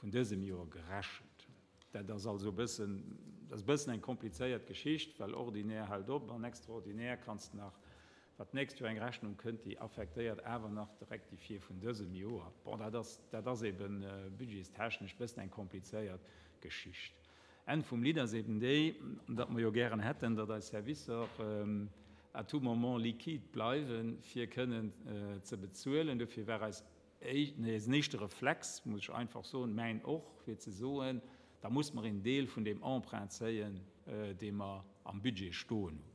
vun dësem Joer gerechent. Dat ass also e bëssen, dat ass e bëssen eng komplizéiert Geschicht, well ordinär hält op an extraordinär kanns de nach, wat d'nächst Joer eng Rechnung kënnt, déi affektéiert awer nach de Rectifié vun dësem Joer. Bon, dat ass, dat ass eben budgetstechnesch e bëssen eng komplizéiert Geschicht. Enn vum Lidd ass eben déi, datt mer jo gären hätten, datt eis Servicer à tout moment liquide bleiwen, fir kënnen ze bezuelen. Dofir war eis eisen éischte Reflex, muss ech einfach soen, mäin och, fir ze soen, da muss mer een Deel vun deem Emprunt zéien, dee mer am Budget stoen hunn.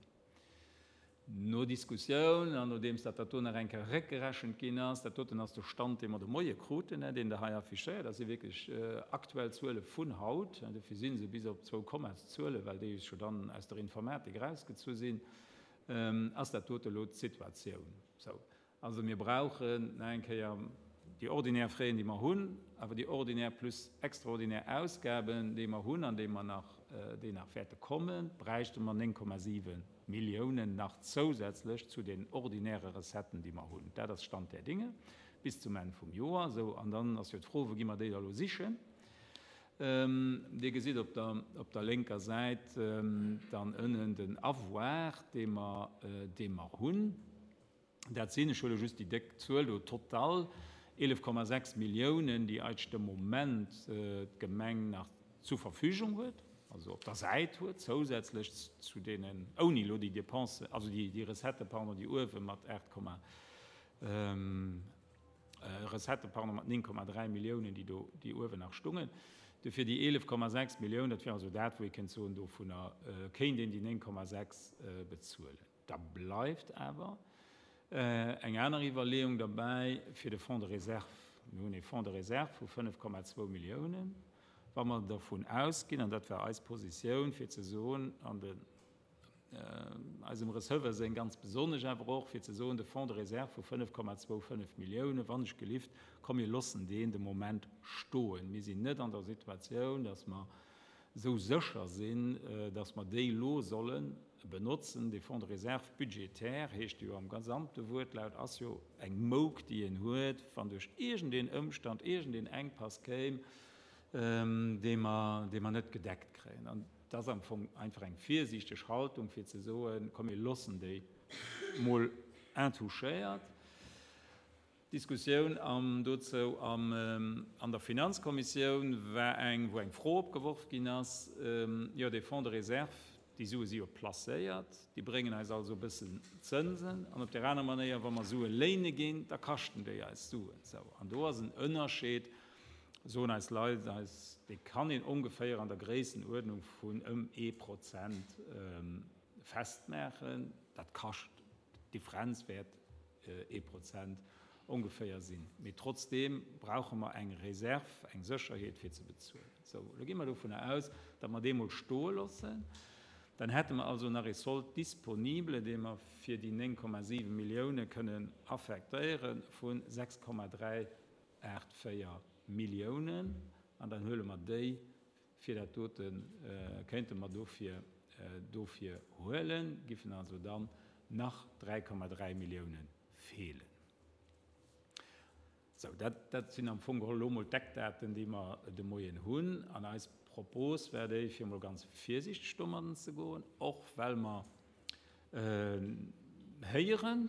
No Diskussioun an nodeems dat dat do nach eng Kéier réckgerechent ginn ass, dat doten ass de Stand, dee mer de Moie kruten, deen Der hei affichéiert, dat si wierklech aktuell Zuele vun haut, dofir si se bis op zwou Kommaszuele, well déi jo dann aus der Informatik erausgezu sinn, ass dat dote elo d'Situatioun. Sou, also mir brauchen nach eng Kéier déi ordinär Frais, déi mer hunn, awer déi ordinär plus extraordinär Ausgaben, déi mer hunn an déi mer nach, déi nach wäerte kommen, bräichte mer néng Komma siwe Milliounen nach zousätzlech zu den ordinäre Recetten, déi mer hunn. Dat ass Stand der Dinge bis zum Enn vum Joer. Sou, an dann ass jo d'Fro, wou gi mer déi da elo sichen? Dir gesitt op der, op der lénker Säit dann ënnen den Avoir, dee mer, dee mer hunn. Dat sinn, ech huele just déi déck Zuel do, total eelef Komma sechs Milliounen, déi eigentlech de Moment d'Gemeng nach zur Verfügung huet, also op der Säit huet, zousätzlech zu deenen, ouni elo déi Dépensen, also déi, déi Recette, pardon, déi uewe mat aacht Komma, Recette, pardon, mat néng Komma dräi Milliounen, déi do, déi uewen nach stungen. Dofir déi eelef Komma sechs Milliounen, dat wär also dat, wou ee kéint soen, dovunner kéint een déi néng Komma sechs bezuelen. Da bleift awer eng aner Iwwerleeung derbäi fir de Fonds de réserve. Mir hunn ee Fonds de réserve vu fënnef Komma zwou Milliounen. Wa mer dervun ausginn, an dat war eis Positioun, fir ze soen, an den eisem Receveur seng ganz besonnesch awer och, fir ze soen, de Fonds de réserve vu fënnef Komma zwou fënnef Milliounen, wann ech gelift, komm, mir loossen deen de Moment stoen. Mir sinn net an der Situatioun, dass mer esou sécher sinn, dass mer déi elo solle benotzen. De Fonds de réserve budgétaire heescht jo am gesamte Wuertlaut, ass jo eng Mouk, déi een huet, wann duerch iergendeen Ëmstand, iergendeen Enkpass kéim, dee mer, dee mer net gedeckt kréien. An dat ass am Fong einfach eng virsiichteg Haltung, fir ze soen, komm, mir loossen déi mol intouchéiert. D'Diskussioun am, dozou am, an der Finanzkommissioun war eng, wou eng Fro opgeworf ginn ass, jo, dee Fonds de réserve, déi Sue si jo placéiert, déi bréngen eis also e bëssen Zënsen, an op der aner Manéier, wa mer Sue léine ginn, da kaschten déi eis Suen. Sou, an do ass en Ënnerscheed, soen eis Leit, eis, dee kann een ongeféier an der Gréissenuerdnung vun ëm ee Prozent festmaachen. Dat kascht, d'Differenz wäert ee Prozent ongeféier sinn. Mee trotzdeem brauche mer eng Reserve, eng Sécherheet fir ze bezuelen. Sou, elo gi mer dovunner aus, datt mer dee mol stoe loossen. Dann hätte mer also nach ee Solde disponible, dee mer fir déi néng Komma siwe Millioune kënnen affektéiere vu sechs Komma dräi aacht véier Milliounen. An dann huele mer déi fir dat dote, kéinte mer dofir dofir huelen, giffen also dann nach dräi Komma dräi Millioune feelen. Sou, dat, dat sinn am Fong geholl elo mol d'Eckdaten, déi mer de Moien hunn. An eis Propos war déi, fir emol ganz virsiichteg domadden ze goen, och well mer héieren,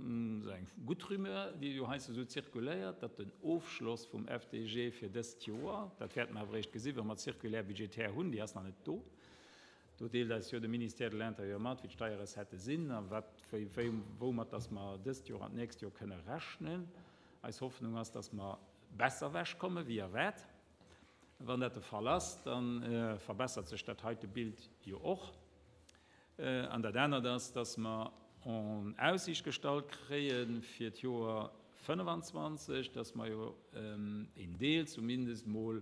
esou eng gutt Rumeur, déi jo heiansdo esou zirkuléiert, datt den Ofschloss vum F D G fir dëst Joer, dat wäerte mer awer eréischt gesinn, wa mer d'Circulaire budgétaire hunn, déi ass nach net do, do deelt eis jo de Ministère de l'Intérieur mat, wéi d'Steierrecettë sinn a wat, wéi, wéi, woumat datt mer dëst Joer an d'nächst Joer kënne rechnen. Eis Hoffnung ass, dass mer besser ewechkomme wéi erwaart. Wann dat de Fall ass, da verbessert sech dat heite Bild jo och. An dat anert ass, dass mer en Aussiicht gestallt kréie fir d'Joer fënnefenzwanzeg, dass mer jo een Deel zumindest mol,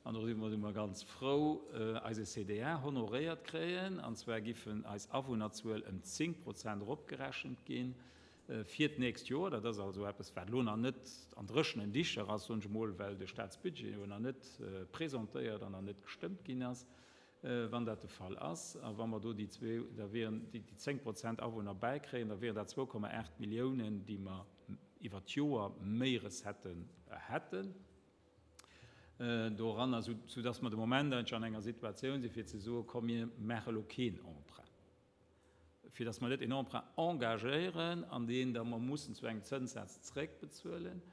an do si mer immer ganz frou, eise C D A honoréiert kréien. An zwar giffen eis Awunnerzuel ëm zéng Prozent eropgerechent ginn fir d'nächst Joer. Dat ass also eppes, wat elo nach net an dréchenen Dicher ass, soen ech emol, well de Staatsbudget jo nach net presentéiert an nach net gestëmmt ginn ass. Wann dat de Fall ass, a wa mer do déi zwee, da wären déi, déi zéng Prozent Awunner bäikréien, da wären dat zwou Komma aacht Milliounen, déi mer iwwer d'Joer méi Recetten hätten. Doranner, sou, soudass mer de Moment eigentlich an enger Situatioun sinn, fir ze soen, komm, mir maache lo keen Emprunt. Fir dass mer net een Emprunt engagéieren, an deen da mer mussen zu engem Zënssaz zréckbezuelen,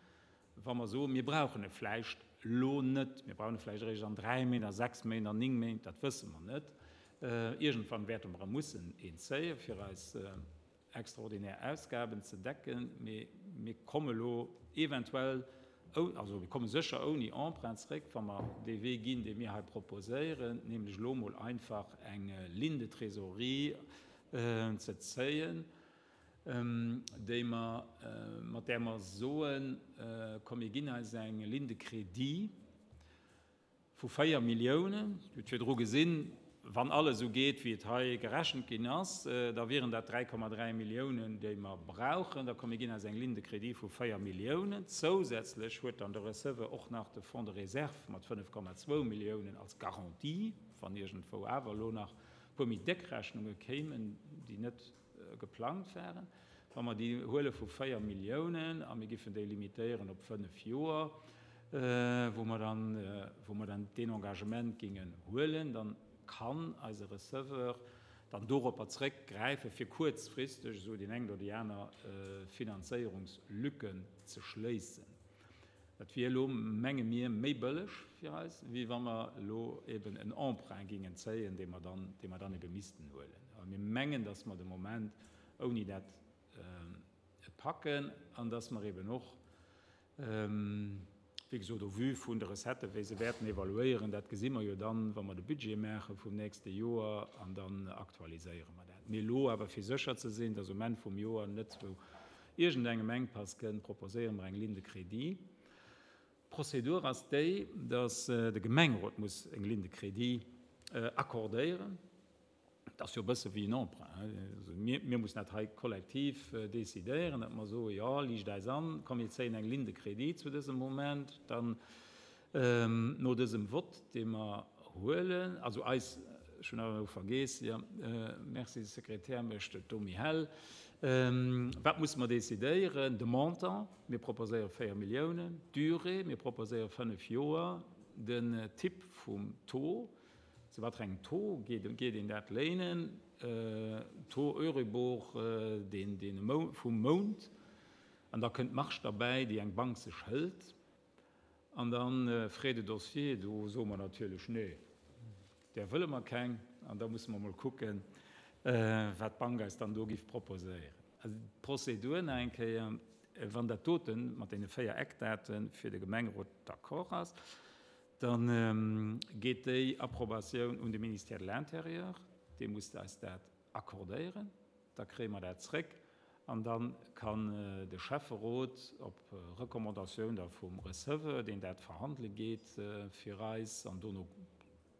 wa mer soen, mir brauchen e vläicht lo net, mir brauchen e vläicht eréischt an dräi Méint, a sechs Méint, an néng Méint, dat wësse mer net. Iergendwann wäerte mer e mussen een zéien, fir eis extraordinär Ausgaben ze decken, mee mir komme lo eventuell, also mir komme sécher ouni Emprunt zréck, wa mer dee Wee ginn, dee mir hei proposéieren, nämlech lo mol einfach eng Ligne de Trésorerie ze zéien, déi mer, mat där mer soen, komm, mir ginn eis eng Ligne de Crédit vu véier Milliounen. Dir hutt virdru gesinn, wann alles esou geet, wéi et hei gerechent ginn ass, da wieren dat dräi Komma dräi Milliounen, déi mer brauchen. Da komm, mir ginn eis eng Ligne de Crédit vu véier Milliounen. Zousätzlech huet dann de Receveur och nach de Fonds de Réserve mat fënnef Komma zwou Milliounen als Garantie, wann iergendwou awer elo nach puer méi déck Rechnunge kéimen, déi net geplangt waren. Wa mer déi huele vu véier Milliounen a mir giffen déi limitéieren op fënnef Joer, wou mer dann, wou mer dann deen Engagement gingen huelen, dann kann eise Receveur dann doropper zréckgräifen, fir kuerzfristeg esou déi eng oder déi aner Finanzéierungslücken ze schléissen. Dat wier elo, menge mir, méi bëlleg fir eis, wéi wa mer elo eben en Emprunt gingen zéien, dee mer dann, dee mer dann eben missten huelen. Aber mir mengen, dass mer de Moment ouni dat packen an dass mer eben och, wéi gesot, au vu vun de Recetten, wéi se wäerten evaluéieren, dat gesi mer jo dann, wa mer de Budget maache vum nächste Joer, an dann aktualiséiere mer dat. Mee elo awer, fir sécher ze sinn, dass um Enn vum Joer net zu iergendengem Engpass kënnt, proposéiere mer eng Ligne de Crédit. D'Prozedur ass déi, dass de Gemengerot muss eng Ligne de Crédit accordéieren. Dat ass jo e bësse wéi en Emprunt, hein. Also mir, mir mussen dat hei kollektiv décidéieren, datt mer soen, ja, liicht eis an, komm, mir zéien eng Ligne de Crédit zu dësem Moment, dann no dësem Vott, dee mer huelen, also eis, ech hunn awer elo vergeess, ja, merci, Sekretär mécht et do méi hell. Wat musse mer décidéieren? De Montant, mir proposéiere véier Milliounen, d'Durée, mir proposéiere fënnef Joer, den Typ vum Taux, zu wat fir engem Taux geet, geet een dat léinen, Taux Euribor, deen, deen vum Mount, an da kënnt d'Marge derbäi, déi eng Bank sech hëlt, an dann Frais de dossier, do soe mer natierlech nee, där wëlle mer keng, an da musse mer mol kucken, wat d'Bank eis dann do giff proposéieren. Also d'Prozedur nach eng Kéier, wann dat doten mat deene véier Eckdaten fir de Gemengerot d'accord ass, dann geet déi Approbatioun un de Ministère de l'Intérieur, dee muss eis dat accordéieren, da kréie mer dat zréck, an dann kann de Schäfferot op Recommandatioun da vum Receveur, deen dat verhandele geet fir eis an dono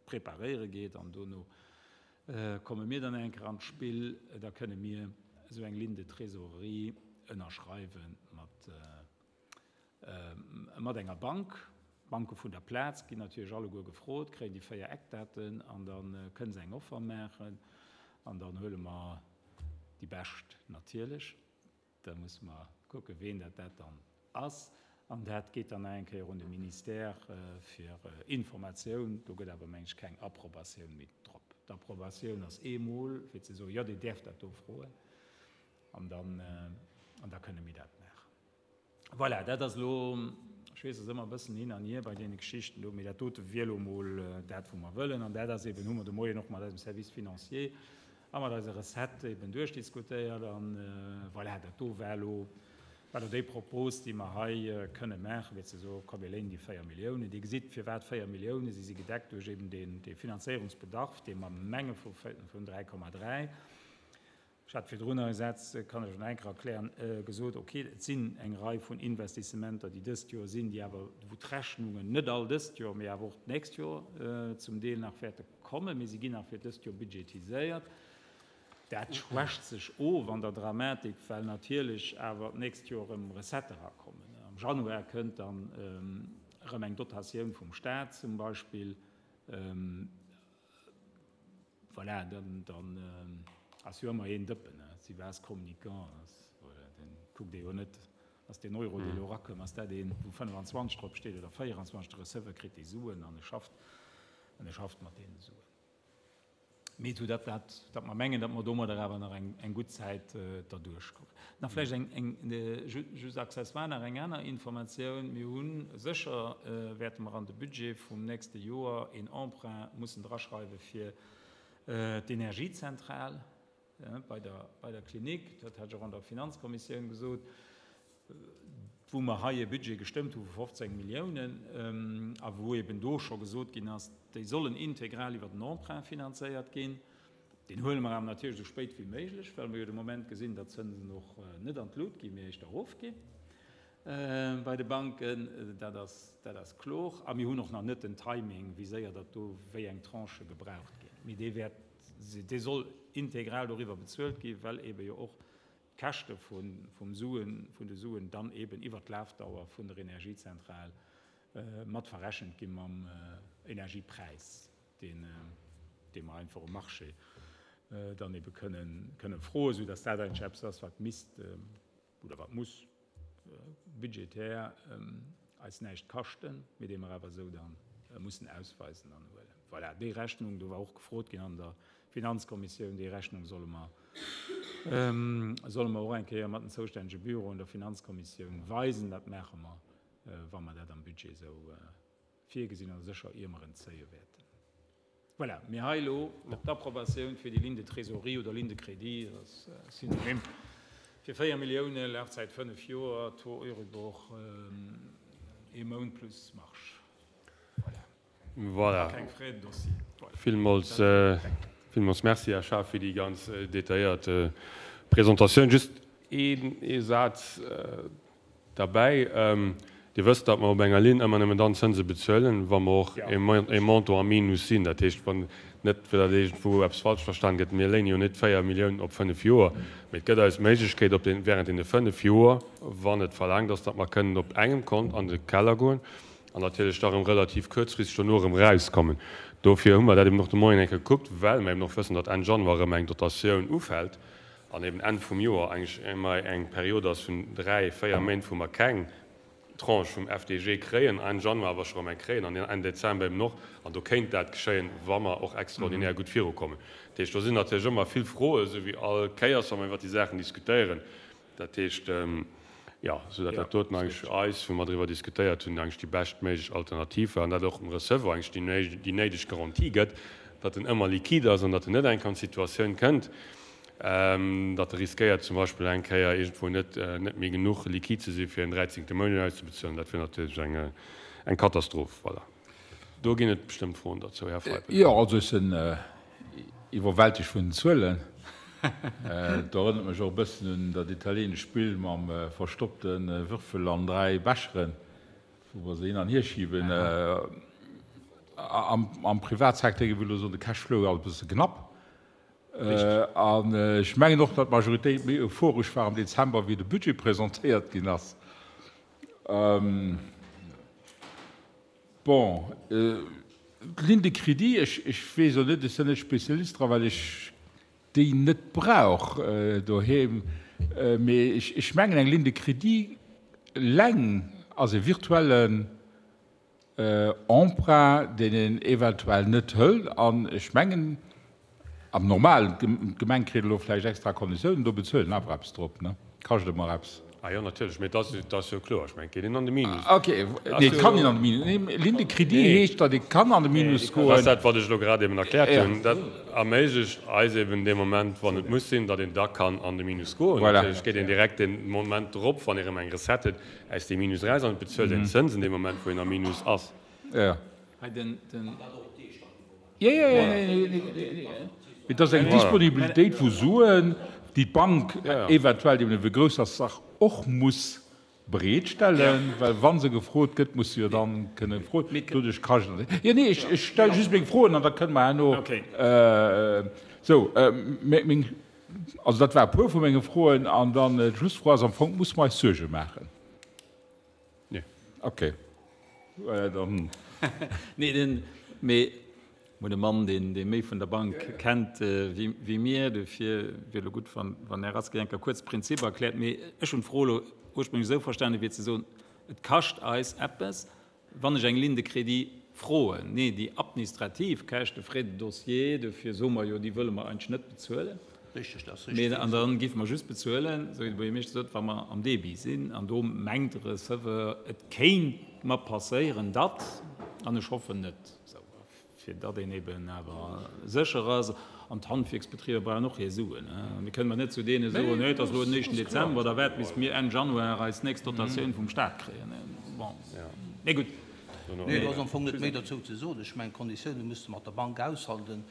preparéiere geet an dono komme mir dann eng Kéier an d'Spill, da kënne mir esou eng Ligne de trésorerie ënnerschreiwe mat, mat enger Bank. D'Banke vun der Plaz ginn natierlech alleguer gefrot, kréien déi véier Eckdaten an da kënne se eng Offer maachen an dann huele mer déi bescht natierlech. Da musse mer kucken, ween dat dat dann ass. An dat geet dann nach eng Kéier un de Ministère fir Informatioun. Do gëtt awer, meng ech, keng Approbatioun méi drop. D'Approbatioun ass eemol, fir ze soen, jo, Dir däerft dat do froen, an dann, an da kënne mir dat maachen. Voilà, dat ass elo, ech weess, ass ëmmer e bëssen hin an hier bei deene Geschichten do, mee dat dote wier elo emol dat, wou mer wëllen. An dat ass eben, hu mer de Moien och mat eisem Service financier a mat eiser Recette eben duerchdiskutéiert. An voilà, dat do war elo, war elo déi Propos, déi mer hei kënne maachen, fir ze soen, komm, mir léinen déi véier Milliounen. Dir gesitt, firwat véier Milliounen, Si si gedeckt duerch eben deen, dee Finanzéierungsbedarf, dee mer menge vu vun dräi Komma dräi. Ech hat virdrun nach e Saz, kann ech nach eng Kéier erklären, gesot, okay, et sinn eng Rei vun Investissementer, déi dëst Joer sinn, déi awer, wou d'Rechnungen net all dëst Joer, mee awer och d'nächst Joer zum Deel nach wäerte kommen, mee si ginn nach fir dëst Joer budgetiséiert. Dat schwächt sech of an der Dramatik, well natierlech awer d'nächst Joer erëm Recettë erakommen. Am Januar kënnt dann erëm eng Dotatioun vum Stat zum Beispill. Voilà, dann, dann ass jo ëmmer een Dëppen, ne? Si vase communicant, ass, voilà, den kuckt ee jo net, ass deen Euro, dee elo erakëmm, ass dat een, wou fënnefenzwanzeg drop steet oder véierenzwanzeg, de Receveur kritt déi Suen an e schafft, an e schafft mat deene Suen. Mee zu dat, dat, dat mer mengen, datt mer domadder awer nach eng, eng gutt Zäit derduerch kommen. Nach vläicht eng, eng, just accessoire nach eng aner Informatioun, Mir hu sécher, wäerte mer an de Budget vum nächste Joer een Emprunt mussen draschreiwe fir d'Energiezentral bei der, bei der Klinik. Dat hat ech och an der Finanzkommissioun gesot, wou mer hei e Budget gestëmmt hu vu fofzéng Milliounen a wou eben do scho gesot ginn ass, déi sollen integral iwwer den Emprunt finanzéiert ginn. Deen huele mer awer natierlech esou spéit wéi méiglech, well mer jo de Moment gesinn, datt d'Zënsen och net an d'Lut ginn, mee éischter erofginn bei de Banken. Dat ass, dat ass kloer. A mir hunn och nach net den Timing, wéi séier datt do wéi eng Tranchë gebraucht ginn. Mee dee wäert, dee soll integral doriwwer bezuelt ginn, well eebe jo och d'Käschte vum Suen, vun de Suen dann eeben iwwert d'Lafdauer vun der Energiezentral mat verrechent gi mam Energiepräis, deen, dee mer einfach um Marché dann eebe kënnen, kënnen froen, soudass dat eigentlech eppes ass, wat misst oder wat muss budgetär eis näischt kaschten, mee dee mer awer esou da mussen ausweisen an huelen. Voilà, déi Rechnung, do war och gefrot ginn an der Finanzkommissioun, déi Rechnung solle mer, solle mer och eng Kéier mat den zoustännege Büroen der Finanzkommissioun weisen. Dat maache mer, wa mer dat am Budget esou virgesinn a sécher ier mer en zéie wäerten. Voilà, mee hei elo d'Approbatioun fir déi Ligne de trésorerie oder Ligne de crédit, dat ass synonym fir véier Milliounen, Lafzäit fënnef Joer, Taux Euribor ee Mount plus Marge. Voilà. Voilà. Keng Frais de dossier. Voilà. Villmools, villmools Merci, Här Schaaf, fir déi ganz detailléiert Presentatioun. Just een, ee Saz derbäi. Dir wësst, datt mer op enger Linn ëmmer nëmmen dann Zënse bezuelen, wa mer och e Montant am Minus sinn. Dat heescht, wann net, fir datt iergendwou eppes falsch verstan gëtt, mir léine jo net véier Milliounen op fënnef Joer, mee et gëtt eis d'Méiglechkeet, op den, während deene fënnef Joer, wann et verlaangt ass, datt mer kënnen op engem Kont an de Keller goen an natierlech da erëm relativ kuerzfristeg dono erëm erauskommen. Dofir hu mer dat eben och de Moien eng Kéier gekuckt, well mer eben och wëssen, datt Enn Januar erëm eng Dotatioun ufält an eben Enn vum Joer eigentlech ëmmer eng Period ass vun dräi, véier Méint, wou mer keng Tranche vum F D G kréien, Enn Januar awer scho erëm eng kréien an Enn Dezember eben och. An do kéint dat geschéien, wa mer och extraordinär gutt virukommen. Dat heescht, do sinn natierlech ëmmer vill Froen, esou wéi all Kéiers, wa mer iwwert déi Saachen diskutéieren. Dat heescht, jo, soudatt dat doten eigentlech fir eis, wou mer driwwer diskutéiert hunn, eigentlech déi beschtméiglech Alternativ war an dat och dem Receveur eigentlech déi néideg Garantie gëtt, datt en ëmmer liquide ass an datt en net eng Kéier an d'Situatioun kënnt, datt e riskéiert zum Beispill eng Kéier iergendwou net net méi genuch liquide ze si fir en dräizéngte Mount auszebezuelen. Dat wier natierlech eng eng Katastroph. Voilà. Do ginn et bestëmmt Froen derzou, Här Feipel. Jo, also ech sinn iwwerwältegt vun den Zuelen. Dat erënnert mech och e bëssen un dat italienescht Spill mam verstoppte Würfel an dräi Becheren, wou mer se hin an hier schiben. Am Privatsecteur, géif ech elo soen, de Cashflow ass e bësse knapp. An ech mengen och, datt d'Majoritéit méi euphoresch war am Dezember, wéi de Budget presentéiert ginn ass. Bon, d'Ligne de crédit, ech, ech weess elo net, ech sinn net Spezialist dra, well ech déi net brauch doheem, mee ech, ech mengen, eng Ligne de crédit eleng ass e virtuellen Emprunt, deen een eventuell net hëlt. An ech mengen, am Normalen, d'Gemeng kritt elo vläicht extra Konditiounen, do bezuelt en awer eppes drop, ne? Kascht ëmmer eppes. Ah jo, natierlech, mee dat ass jo kloer. Ech mengen, et geet een an de Minus. Ok, nee, et kann een an de Minus. Nee, Ligne de crédit heescht, datt ee kann an de Minus goen. Dat ass dat, wat ech elo grad eben erkläert hunn. Dat erméiglecht eis eben dee Moment, wann et muss sinn, datt een da kann an de Minus goen. Natierlech geet een direkt dee Moment drop, wann ee erëm eng Recette huet, aus deem Minus eraus an et bezuelt een Zënsen dee Moment, wou een am Minus ass. Jo. Et ass eng Disponibilitéit vu Suen, déi d'Bank eventuell, déi ewéi grouss ass d'Sach, och muss bereetstellen, well wa se gefrot gëtt, muss se jo dann kënne froen. Doduerch kascht et. Jo, nee, ech stelle just meng Froen an da kënne mer herno esou meng, also dat war e puer vu menge Froen. An dann d'Schlussfro ass am Fong, Musse mer eis Suerge maachen? Nee. Okay. Voilà, dann. Nee, den, mee mir hunn e Mann, deen, dee méi vun der Bank kennt wéi, wéi mir. Dofir wier elo gutt, wann, wann Här Rasqué eng Kéier kuerz d'Prinzip erkläert. Mee ech hunn d'Fro elo ursprénglech esou verstanen, wéi ze soen, et kascht eis eppes, wann ech eng Ligne de crédit froen. Nee, déi administrativ Käschte, Frais de dossier, dofir soe mer jo, déi wëlle mer eigentlech net bezuelen. Richtig, dat ass richtig. Mee, an da géife mer just bezuelen, esou wéi de Buergermeeschter sot, wa mer am Débit sinn. An do mengt de Receveur, et kéint mer passéieren, datt, an ech hoffen net, esou, fir datt een eben awer sécher ass. An d'Handwierksbetriber brauchen och hir Suen. Mir kënnen mer net zu deene soen, nee, et ass elo den éischten Dezember, da waart bis mir Enn Januar eis nächst Dotatioun vum Stat kréien. Bon, mee gutt. Nee, do ass am Fong net méi dozou ze soen. Ech mengen, d'Konditioune muss de mat der Bank aushandeln.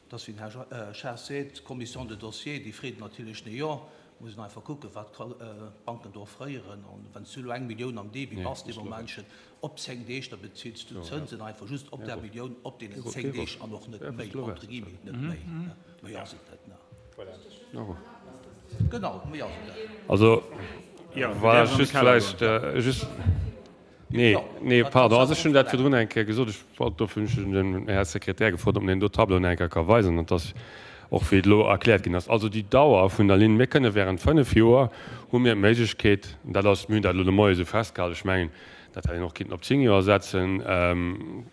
Et ass, wéi den Här Schaaf seet, d'Commission de dossier, déi freet natierlech nee jo. Muss een einfach kucken, wat d'Banken do offréieren. An wann s du elo eng Millioun am Débit bass dee Momentchen, op zéng Deeg, da bezills du d'Zënsen einfach just op där Millioun op deenen zéng Deeg an och net méi, entre guillemets, net méi. Méi ass et net, ne? Genau, méi ass et net. Also, voilà, just vläicht just. Nee, nee, pardon. Also ech hunn dat virdrun eng Kéier gesot. Ech wollt, dofir hunn ech den Här Sekretär gefrot, ob en deen do Tableau nach eng Kéier ka weisen. Dat ass och wéi et elo erkläert ginn ass. Also déi Dauer vun der Linn, mir kënne während fënnef Joer hu mir d'Méiglechkeet, dat ass, mir hunn dat elo de Moie esou festgehalen, ech mengen, dat hätt een och kinnten op zéng Joer setzen,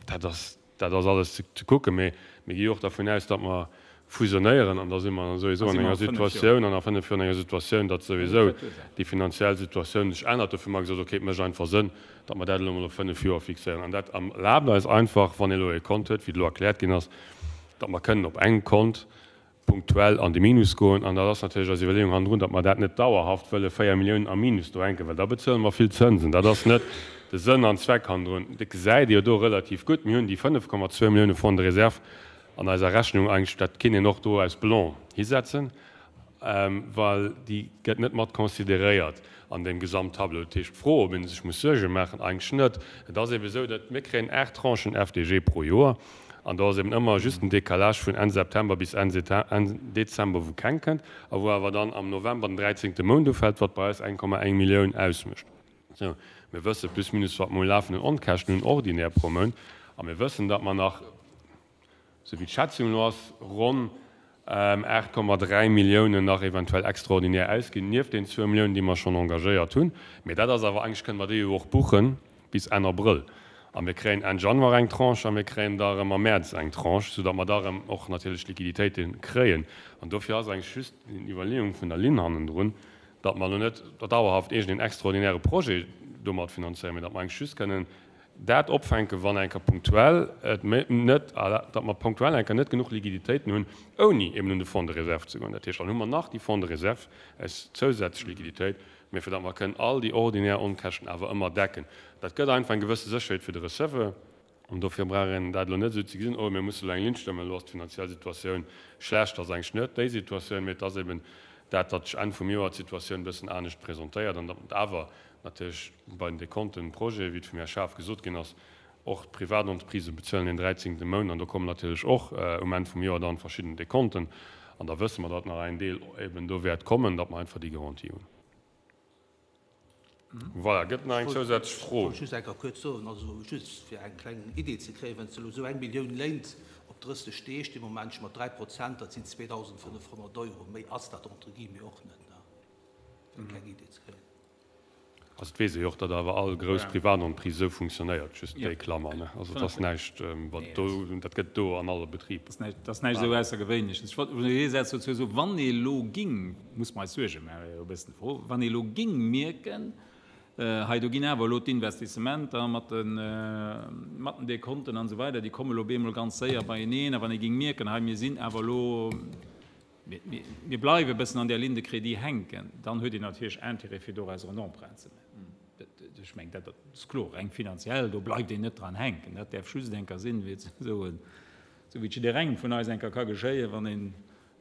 dat ass, dat ass alles ze kucken, mee mir gi jo och dervun aus, datt mer fusionéieren an da si mer souwisou an enger Situatioun, an a fënnef Joer an enger Situatioun, datt souwisou déi finanziell Situatioun sech ännert. Dofir hu mer gesot, okay, et mécht einfach Sënn, datt mer dat elo emol op fënnef Joer fixéieren. An dat erlaabt eis einfach, wann ee elo e Kont huet, wéi et elo erkläert ginn ass, datt mer kënnen op engem Kont punktuell an de Minus goen. An dat ass natierlech eis Iwwerleeung hannendrun, datt mer dat net dauerhaft wëlle véier Milliounen am Minus do hänken, well da bezuele mer vill Zënsen. Dat ass net de Sënn an Zweck hannendrun. Dat gesäit Dir jo do relativ gutt. Mir hunn déi fënnef Komma zwou Millioune Fonds de réserve an eiser Rechnung eigentlech, dat kinnt een och do aus Blanc hisetzen, well déi gëtt net mat consideréiert an deem Gesamttableau. Dat heescht, d'Fro, ob ee sech muss Suerge maachen, eigentlech net. Et ass eebe esou, datt mir kréien aacht Tranchen F D G pro Joer an do ass eeben ëmmer just en Décalage vun Enn September bis Enn Dezember, wou keng kënnt a wou awer dann am November den dräizéngte Mount ufält, wat bei eis eng Komma eng Millioun ausmécht. Sou, mir wësse plus minus, wat mer u lafenden Onkäschten hunn ordinär pro Mount a mir wëssen, datt mer nach, sou wéi d'Schätzung elo ass, ronn aacht Komma dräi Milliounen nach eventuell extraordinär ausginn, nieft den zwou Milliounen, déi mer schonn engagéiert hunn. Mee dat ass awer, eigentlech kënne mer déi jo och buche bis Enn Abrëll. A mir kréien Enn Januar eng Tranche a mir kréien da erëm am Mäerz eng Tranche, soudatt mer da erëm och natierlech Liquiditéite kréien. An dofir ass eigentlech just déi Iwwerleeung vun der Linn hannendrun, datt mer elo net dauerhaft iergendeen extraordinäre Projet domat finanzéieren, mee datt mer eigentlech just kënnen dat opfänken, wann eng Kéier punktuell et net, datt mer punktuell eng Kéier net genuch Liquiditéiten hunn, ouni eben un de Fonds de réserve ze goen. Dat heescht, dann hu mer nach déi Fonds de réserve als zousätzlech Liquiditéit, mä fir datt mer kënnen all déi ordinär Onkäschten awer ëmmer decken. Dat gëtt einfach eng gewësse Sécherheet fir de Receveur. An dofir brauch een dat elo net esou ze gesinn, oh mir musse elo eng Linn stëmmen, elo ass d'finanziell Situatioun schlecht. Dat ass eigentlech net déi Situatioun, mä et ass eben dat, datt sech Enn vum Joer d'Situatioun e bëssen anescht presentéiert an datt awer natierlech bei den Dekonten, Projeten, wéi et vum Här Schaaf gesot ginn ass, och d'Privatentreprisë bezuelen den dräizéngte Mount an do kommen natierlech och um Enn vum Joer dann verschidden Dekonten An da wësse mer, datt nach en Deel eben do wäert kommen, datt mer einfach déi Garantie hunn. Voilà, gëtt nach eng zousätzlech Fro? Ech wollt just eng Kéier kuerz soen, also just fir eng kleng Idee ze kréien, Wann s de elo esou eng Millioun léint op drësseg Deeg, dee Moment sti mer dräi Prozent, dat sinn zweedausendfënnefhonnert Euro. Méi ass dat entre guillemets och net, ne? Fir eng kleng Idee ze kréien. Also et weess ee jo och, datt awer all grouss Privatentreprise esou funktionéiert, just déi Klammer, ne? Also et ass näischt, wat do, dat gëtt do an alle Betriber. Dat ass näischt esou Aussergewéinleches. Ech wollt just ee Saz dozou soen, Wann ee elo ging, muss mer eis Suerge maachen, wär jo e bëssen d'Fro, wann ee elo ging mierken, hei do ginn awer elo d'Investissementer mat de, mat den Dekonten an esou weider, déi komme elo op eemol ganz séier beieneen, a wann ee ging mierken, hei mir sinn awer elo, mir bleiwe e bëssen an där Ligne de crédit hänken, dann huet een natierlech Intérêt, fir dorauser en Emprunt ze maachen. Ech mengen, dat ass kloer, reng finanziell, do bleift een net dran hänken. Dat däerf just eng Kéier sinn, wéi et esou wéi et jidderengem vun eis eng Kéier ka geschéien, wann een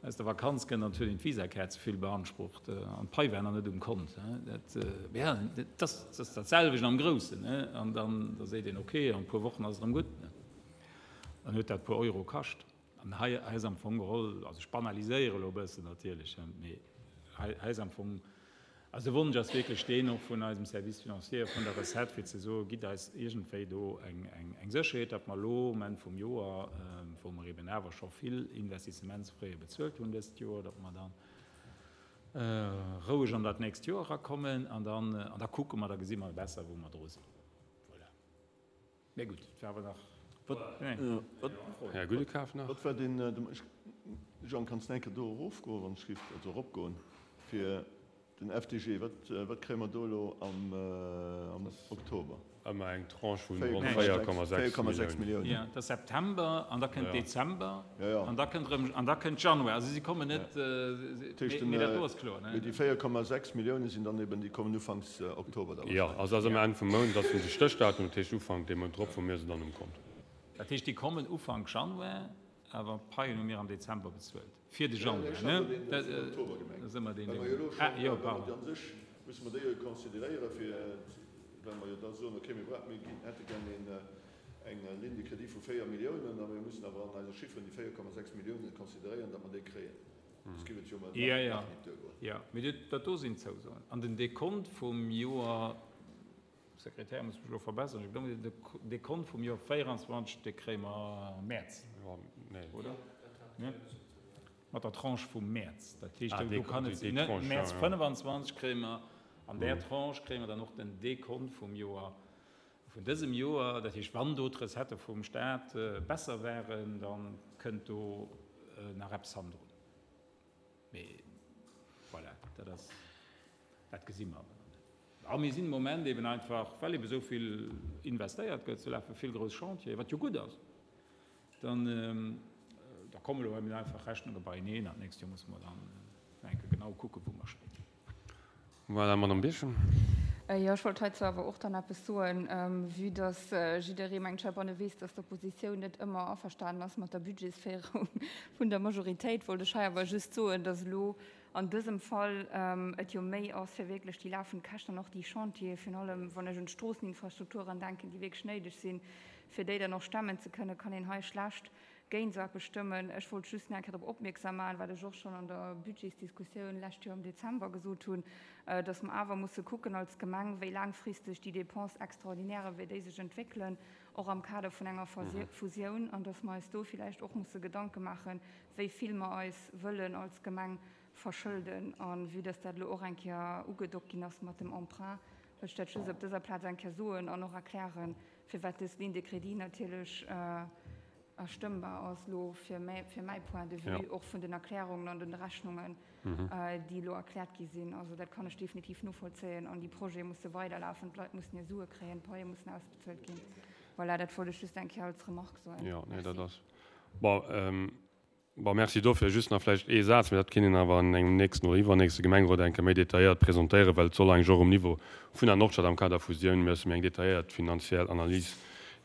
aus der Vakanz kënnt an et huet een d'Visakaart ze vill beansprucht an d'Pai war nach net um Kont. Dat, ja, dat ass dat selwecht am Groussen. An dann da seet een, okay, an e puer Wochen ass et erëm gutt. Dann huet dat e puer Euro kascht. An hei ass am Fong geholl, also ech banaliséiere elo e bëssen natierlech, mee hei ass am Fong, also de Wonsch ass wierklech deen och vun eisem Service financier, vun der Recette, fir ze soen, gitt eis iergendwéi do eng Sécherheet, datt mer elo um Enn vum Joer, wou mer eben awer scho vill Investissementsfraie bezuelt hunn dëst Joer, datt mer da roueg an dat nächst Joer erakommen an dann, an da kucke mer, da gesi mer besser, wou mer dru sinn. Voilà. Mä gutt, et war awer nach. Här Gudekaf nach. Wat war deen, Jean, kanns de eng Kéier do erofgoen, wann ech giff, also eropgoen, fir den F D G, wat, wat kréie mer do elo am Oktober? Ëmmer eng Tranche vun ronn véier Komma sechs Milliounen. Jo, dat ass September an da kënnt Dezember an da kënnt erëm, an da kënnt Januar. Also si kommen net, mee dat do ass kloer, ne? Mee déi véier Komma sechs Millioune sinn dann eben, déi kommen ufanks Oktober da Jo, wahrscheinlech. Also ass ëmmer Enn vum Mount, dat ass de Stéchdatum, dat heescht Ufank dee Mount drop, wou mir se dann um Kont. Dat heescht, déi kommen Ufank Januar, awer d'Paien hu mir am Dezember bezuelt fir de Januar, ne? Dat ass ëmmer deen Ding. Ah, jo, pardon. Well mer jo elo schonn, an sech musse mer déi jo consideréiere fir, well mer jo da soen, okay, mir brauchen, mir ginn, hätte gär een, eng Ligne de crédit vu véier Milliounen a mir mussen awer an eise Chifferen déi véier Komma sechs Milliounen consideréieren, datt mer déi kréien. Soss géif et jo emol nach net duergoen. Jo, mee dat do sinn d'Zousoen. An den Dekont vum Joer, Sekretär muss mech elo verbessern, ech glaube, de Dekont vum Joer véieranzwanzeg, dee kréie mer am Mäerz, oder? Mat der Tranche vum Mäerz. Dat heescht, do kann et sinn, Mäerz fënnefanzwanzeg kréie mer, an där Tranche kréie mer dann och den Dekont vum Joer, vun dësem Joer. Dat heescht, wann do d'Recettë vum Stat besser waren, da kënnt do nach eppes hannendrun. Mee voilà, dat ass, dat gesi mer awer nach net. A mir sinn de Moment eben einfach, well eben esou vill investéiert gëtt, se lafe vill grouss Chantieren, wat jo gutt ass, dann da kommen elo eben einfach Rechnunge beieneen an d'nächst Joer musse mer dann nach eng Kéier genau kucken, wou mer stinn. Voilà, Madame Birchen. Jo, ech wollt heizou awer och dann eppes soen, vue dass jidderee, mengt ech, heibanne weess, dass d'Oppositioun net ëmmer averstanen ass mat der Budgetsféierung vun der Majoritéit, wollt ech hei awer just soen, dass elo an dësem Fall et jo méi ass, fir wierklech déi lafend Käschten an och déi Chantiere, virun allem wann ech un d'Stroosseninfrastrukturen denken, déi wierklech néideg sinn, fir déi dann och stemmen ze kënnen, kann een hei schlecht géint esou eppes stëmmen. Ech wollt just nach eng Kéier drop opmierksam maachen, wat ech och schonn an der Budgetsdiskussioun lescht Joer am Dezember gesot hunn, dass mer awer musse kucken als Gemeng, wéi laangfristeg déi Dépenses extraordinaires, wéi déi sech entwéckelen, och am Kader vun enger Fusioun, an dass mer eis do villäicht och musse Gedanke maachen, wéi vill mer eis wëllen als Gemeng verschëlden. A vue dass dat elo och eng Kéier ugedockt ginn ass mat dem Emprunt, wëll ech dat just op dëser Plaz eng Kéier soen an och erklären, firwat dës Ligne de crédit natierlech erstëmmbar ass elo fir mäi Point de vue, och vun den Erklärungen an den Rechnungen, déi elo erkläert gi sinn. Also dat kann ech definitiv novollzéien an déi Projete musse weiderlafen, d'Leit mussen hir Sue kréien, d'Paie mussen ausbezuelt ginn. Voilà, dat wollt ech just eng Kéier als Remarque soen. Jo, nee, dat ass bon. Bon, merci dofir. Just nach vläicht ee Saz, mä dat kéint een awer an engem nächsten oder iwwernächste Gemengerot eng Kéier méi detailléiert presentéieren, well et soll eigentlech och um Niveau vun der Nordstad am Kader Fusioun musse mir eng detailléiert finanziell Analys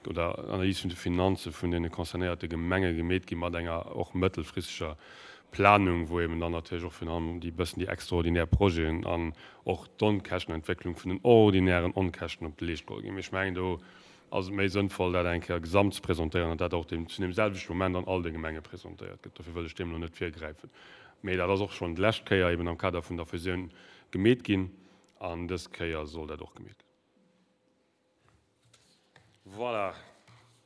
oder Analys vun de Finanze vun deene concernéierte Gemenge gemeet gi mat enger och mëttelfristeger Planung, wou eben dann natierlech och virun allem déi bëssen déi extraordinär Projeten an och d'Onkäschtenentwécklung vun den ordinären Onkäschten op de Leescht geholl ginn. Mee ech mengen, do ass et méi sënnvoll, dat eng Kéier gesamt ze presentéieren an dat och deem, zu deem selwechte Moment an all de Gemenge presentéiert gëtt. Dofir wëll ech deem elo net virgräifen. Mee dat ass och schonn d'lescht Kéier eben am Kader vun der Fusioun gemeet ginn an dës Kéier soll dat och gemeet ginn. Voilà.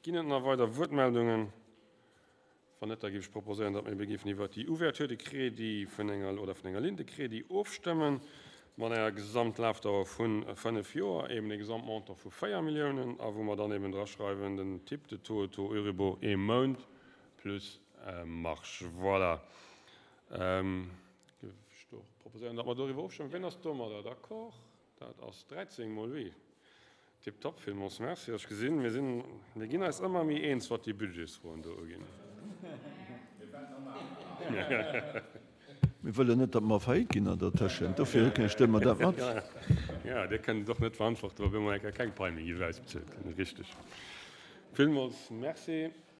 Ginn et nach weider Wuertmeldungen? Wann net, da géif ech proposéieren, datt mir ebe géifen iwwert déi Ouverture de crédit vun enger oder vun enger Ligne de crédit ofstëmmen, mat enger Gesamtlafdauer vu fënnef Joer, eben e Gesamtmontant vu véier Milliounen, a wou mer dann eben draschreiwen, den Type de taux, Taux Euribor ee Mount plus Marge. Voilà. Géif ech do proposéieren, datt mer doriwwer ofstëmmen. Wien ass domadder d'accord? Dat ass dräizéng mol oui. Tiptop, villmools Merci. Ech gesinn, mir sinn, mir ginn eis ëmmer méi eens, wat déi Budgetsfroen do uginn. Mir wëllen net, datt mer a Faillite ginn an der Tëschent, dofir stëmme mer dat mat. Jo, Dir kënnt et och net verantworten, wa mir emol eng Kéier keng Pai méi géif ausbezuelt ginn. Richteg. Villmools Merci.